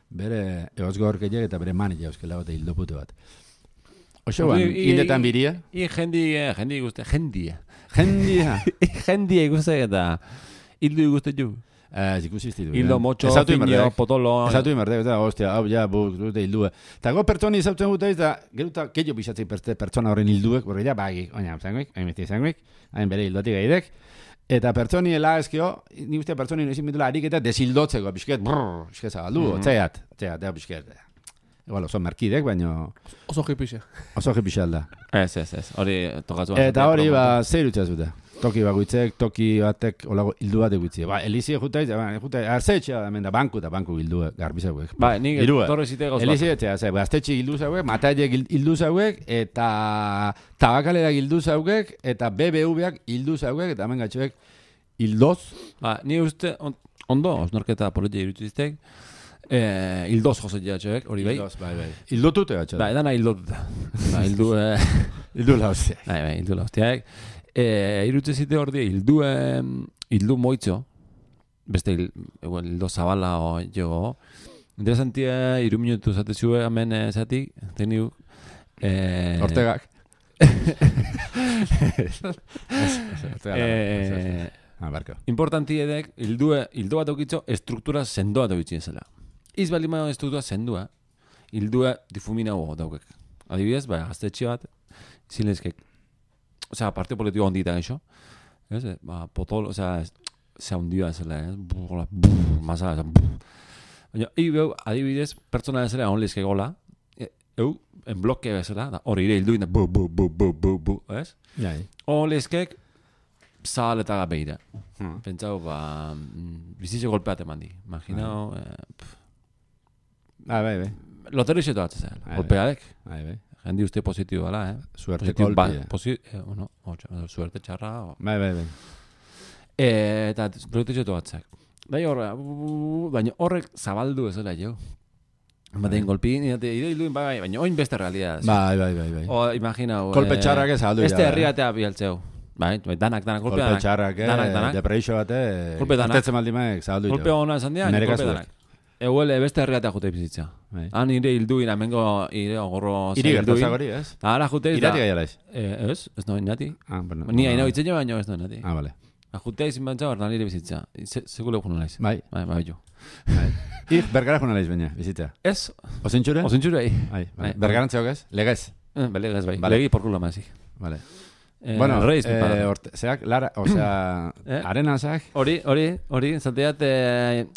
bere egozgo horkeiek eta bere manilek euskela bat hildo pute bat. Oso ban, hildetan biria? I jendi, jendi guzti, jendia. Jendia. Jendia guzti eta hildu guzti ju. Ez ikusi iztitu. Hildo, motxo, finio, potolo. Ezatu imerdek, eta hostia, hau, ja, bu, dute hildue. Eta go pertsoni izautzen guteiz, da, geruta, keio bizatzei pertsona horren hilduek, borre ja, bagi, oina, zangoik, hain besti zangoik, hain bere hildotik gaidek. Eta pertsoni hela ezkio, ni uste pertsoni nezin bitula harik eta deshildotzeko, bisket, brrr, bisket zabaldu, mm-hmm. otzaiat, otzaiat, ea, bisket. Igual, oso merkidek, baina... Oso jipixe. Oso jipixe alda. Ez, ez, ez, hori tokatzu. Eta hori, ba, zer utza zute. Toki bakoitzek, toki batek, olago, hildu bat egutzi. Ba, Elizi jutaiz, ba, jutaiz, arzetxea, hemen da, banku eta banku hildu, garbi zauek. Ba, nik torre zite gauz bat. Elizi etxea, zai, ba, aztetxe hildu zauek, Mataiek hildu zauek, eta Tabakalera hildu zauek, eta B B V-ak hildu zauek, eta hemen gatxoek hildoz. Ba, ni uste, ondo, osnorketa politia irutiztek, eh, hildoz josetia txoek, hori bai? Hildoz, bai, bai. Hildotute gatxoek. Ba, edana hildotuta. Ba, hildu, eh... hildu lauztiak. Bai, bai, hildu lauztiak. Eh, irutze zite hor die, hildu, eh, hildu moitzo, beste hil, igual, hildo zabala o jo, interesantia, iru minutu zatezue hemen eh, zatik, teniu, eh... Ortegak. eh... Ah, barko. Importanti edek, hildu, hildo bat aukitzo, estruktura sendoa daukitzen zela. Iz bali ma estruktura sendoa, hildua difumina ho daukek. Adibidez, ba, gaztetxe bat, zilezkek, osea, parte politiko ondita eixo. Ez, ba, potol, osea, se hundia zela, ez? Hola, masa, baina, ibeu, adibidez, pertsona ezela onlizke gola, eu, en bloke bezala, hori ire hilduin, bu, bu, bu, bu, bu, bu, ez? Jai. Onlizkek, zahaletaga behira. Hmm. Pentsau, ba, bizitze golpeat eman di. Imaginao, eh, ah, bai, bai. Lotero izetu bat zela, golpeadek. Bai, bai. Jendi uste positibo bala, eh? Suerte kolpi. Ba, posi, eh, no, suerte txarra. O. Bai, bai, bai. E, eta proiektu izetu batzak. Dai horre, baina horrek zabaldu ez dela jo. Baten golpi, nire hilduin, bai, baina oin beste realidad. Bai, bai, bai, bai. O, imagina, kolpe txarrak ez aldu. Este herriatea bialtzeu. Bai, danak, danak, kolpe danak. Kolpe txarrak, eh, depreixo bate, artetzen maldimaek zabaldu. Kolpe hona esan dira, kolpe danak. Eguele, beste herriatea jute bizitza. Han nire hilduin, amengo ire ogorro iri gertazak hori, ez? Ara jute izan. Irati gaialaiz? Ez, ez no inati. Ah, bueno. Ni hain hau itzen jo, baina ez no inati. Ah, vale. Jute izin bantza, hor nire bizitza. Segule juno naiz. Bai. Bai, bai, jo. Ik, bergara juno naiz baina, bizitza. Ez. Osintxure? Osintxure, bai. Bergarantzeok ez? Legez? Legez, bai. Legi porkula mazik. Vale. Bueno, reiz, eh, orte, zeak, lara, o sea, eh? arenazak. Hori, hori, hori, zateat, eh,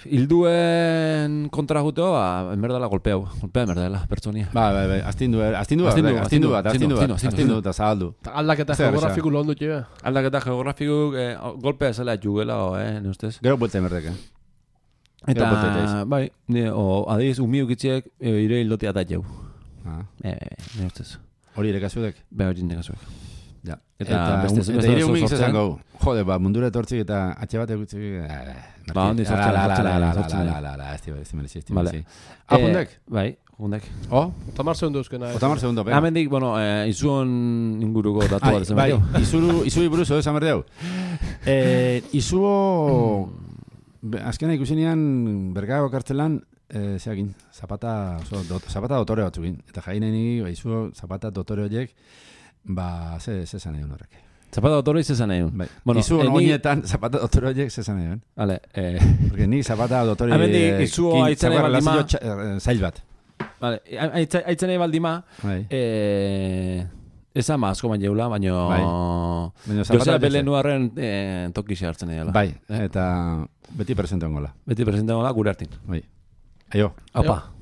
hilduen kontra juteo, ba, enberdala golpeau, golpea enberdala, pertsonia. Ba, ba, ba, astindu, astindu, astindu, astindu bat, astindu bat, astindu eta zabaldu. Aldaketa geografiku lehon dut jo, eh? Aldaketa geografiku, eh, golpea zela jugela, eh, ne ustez? Gero buelte enberdek, eh? Eta, bai, ne, o, adiz, umiuk itxiek, e, ire hildotia da jau. Ah. Eh, ne ustez. Hori irekazudek? Be, hori irekazudek. Ja. Eta, eta, beste, eta, eta ire umik zezan gau. Jode, ba, mundura etortzik eta atxe bat egutzik. Ba, hondi sortzen. La, la, la, la, la, la, la, la, esti, esti, esti, esti, esti. Ah, jundek? Bai, jundek. O? Otamar segundu euskena. Otamar segundu, ben. Hemen dik, bueno, eh, izuon inguruko datu bat esan bai, berdiau. izuru, izuri buruzo, esan berdiau. Eh, izuo... Azkena ikusinean, Bergako kartzelan, eh, zeakin, zapata, oso, dot, zapata dotore batzukin. Eta jaineni, baizu, zapata dotore horiek, ba, ze, ze zan egun horrek. Zapata dotore izan nahi. Bai. Bueno, izu eh, oinetan, zapata dotore horiek ze zan egun. Vale, eh... Porque ni zapata dotore... Hemendik, izu aitzen nahi baldima... Zail bat. Vale, aitzen nahi baldima... Bai. Eh... Eza ma asko baina jeula, baina... Bai. Josea Belenuarren eh, tokixe hartzen nahi dela. Bai, eta beti presente ongola. Beti presente ongola gure hartin. Bai. Aio. Apa.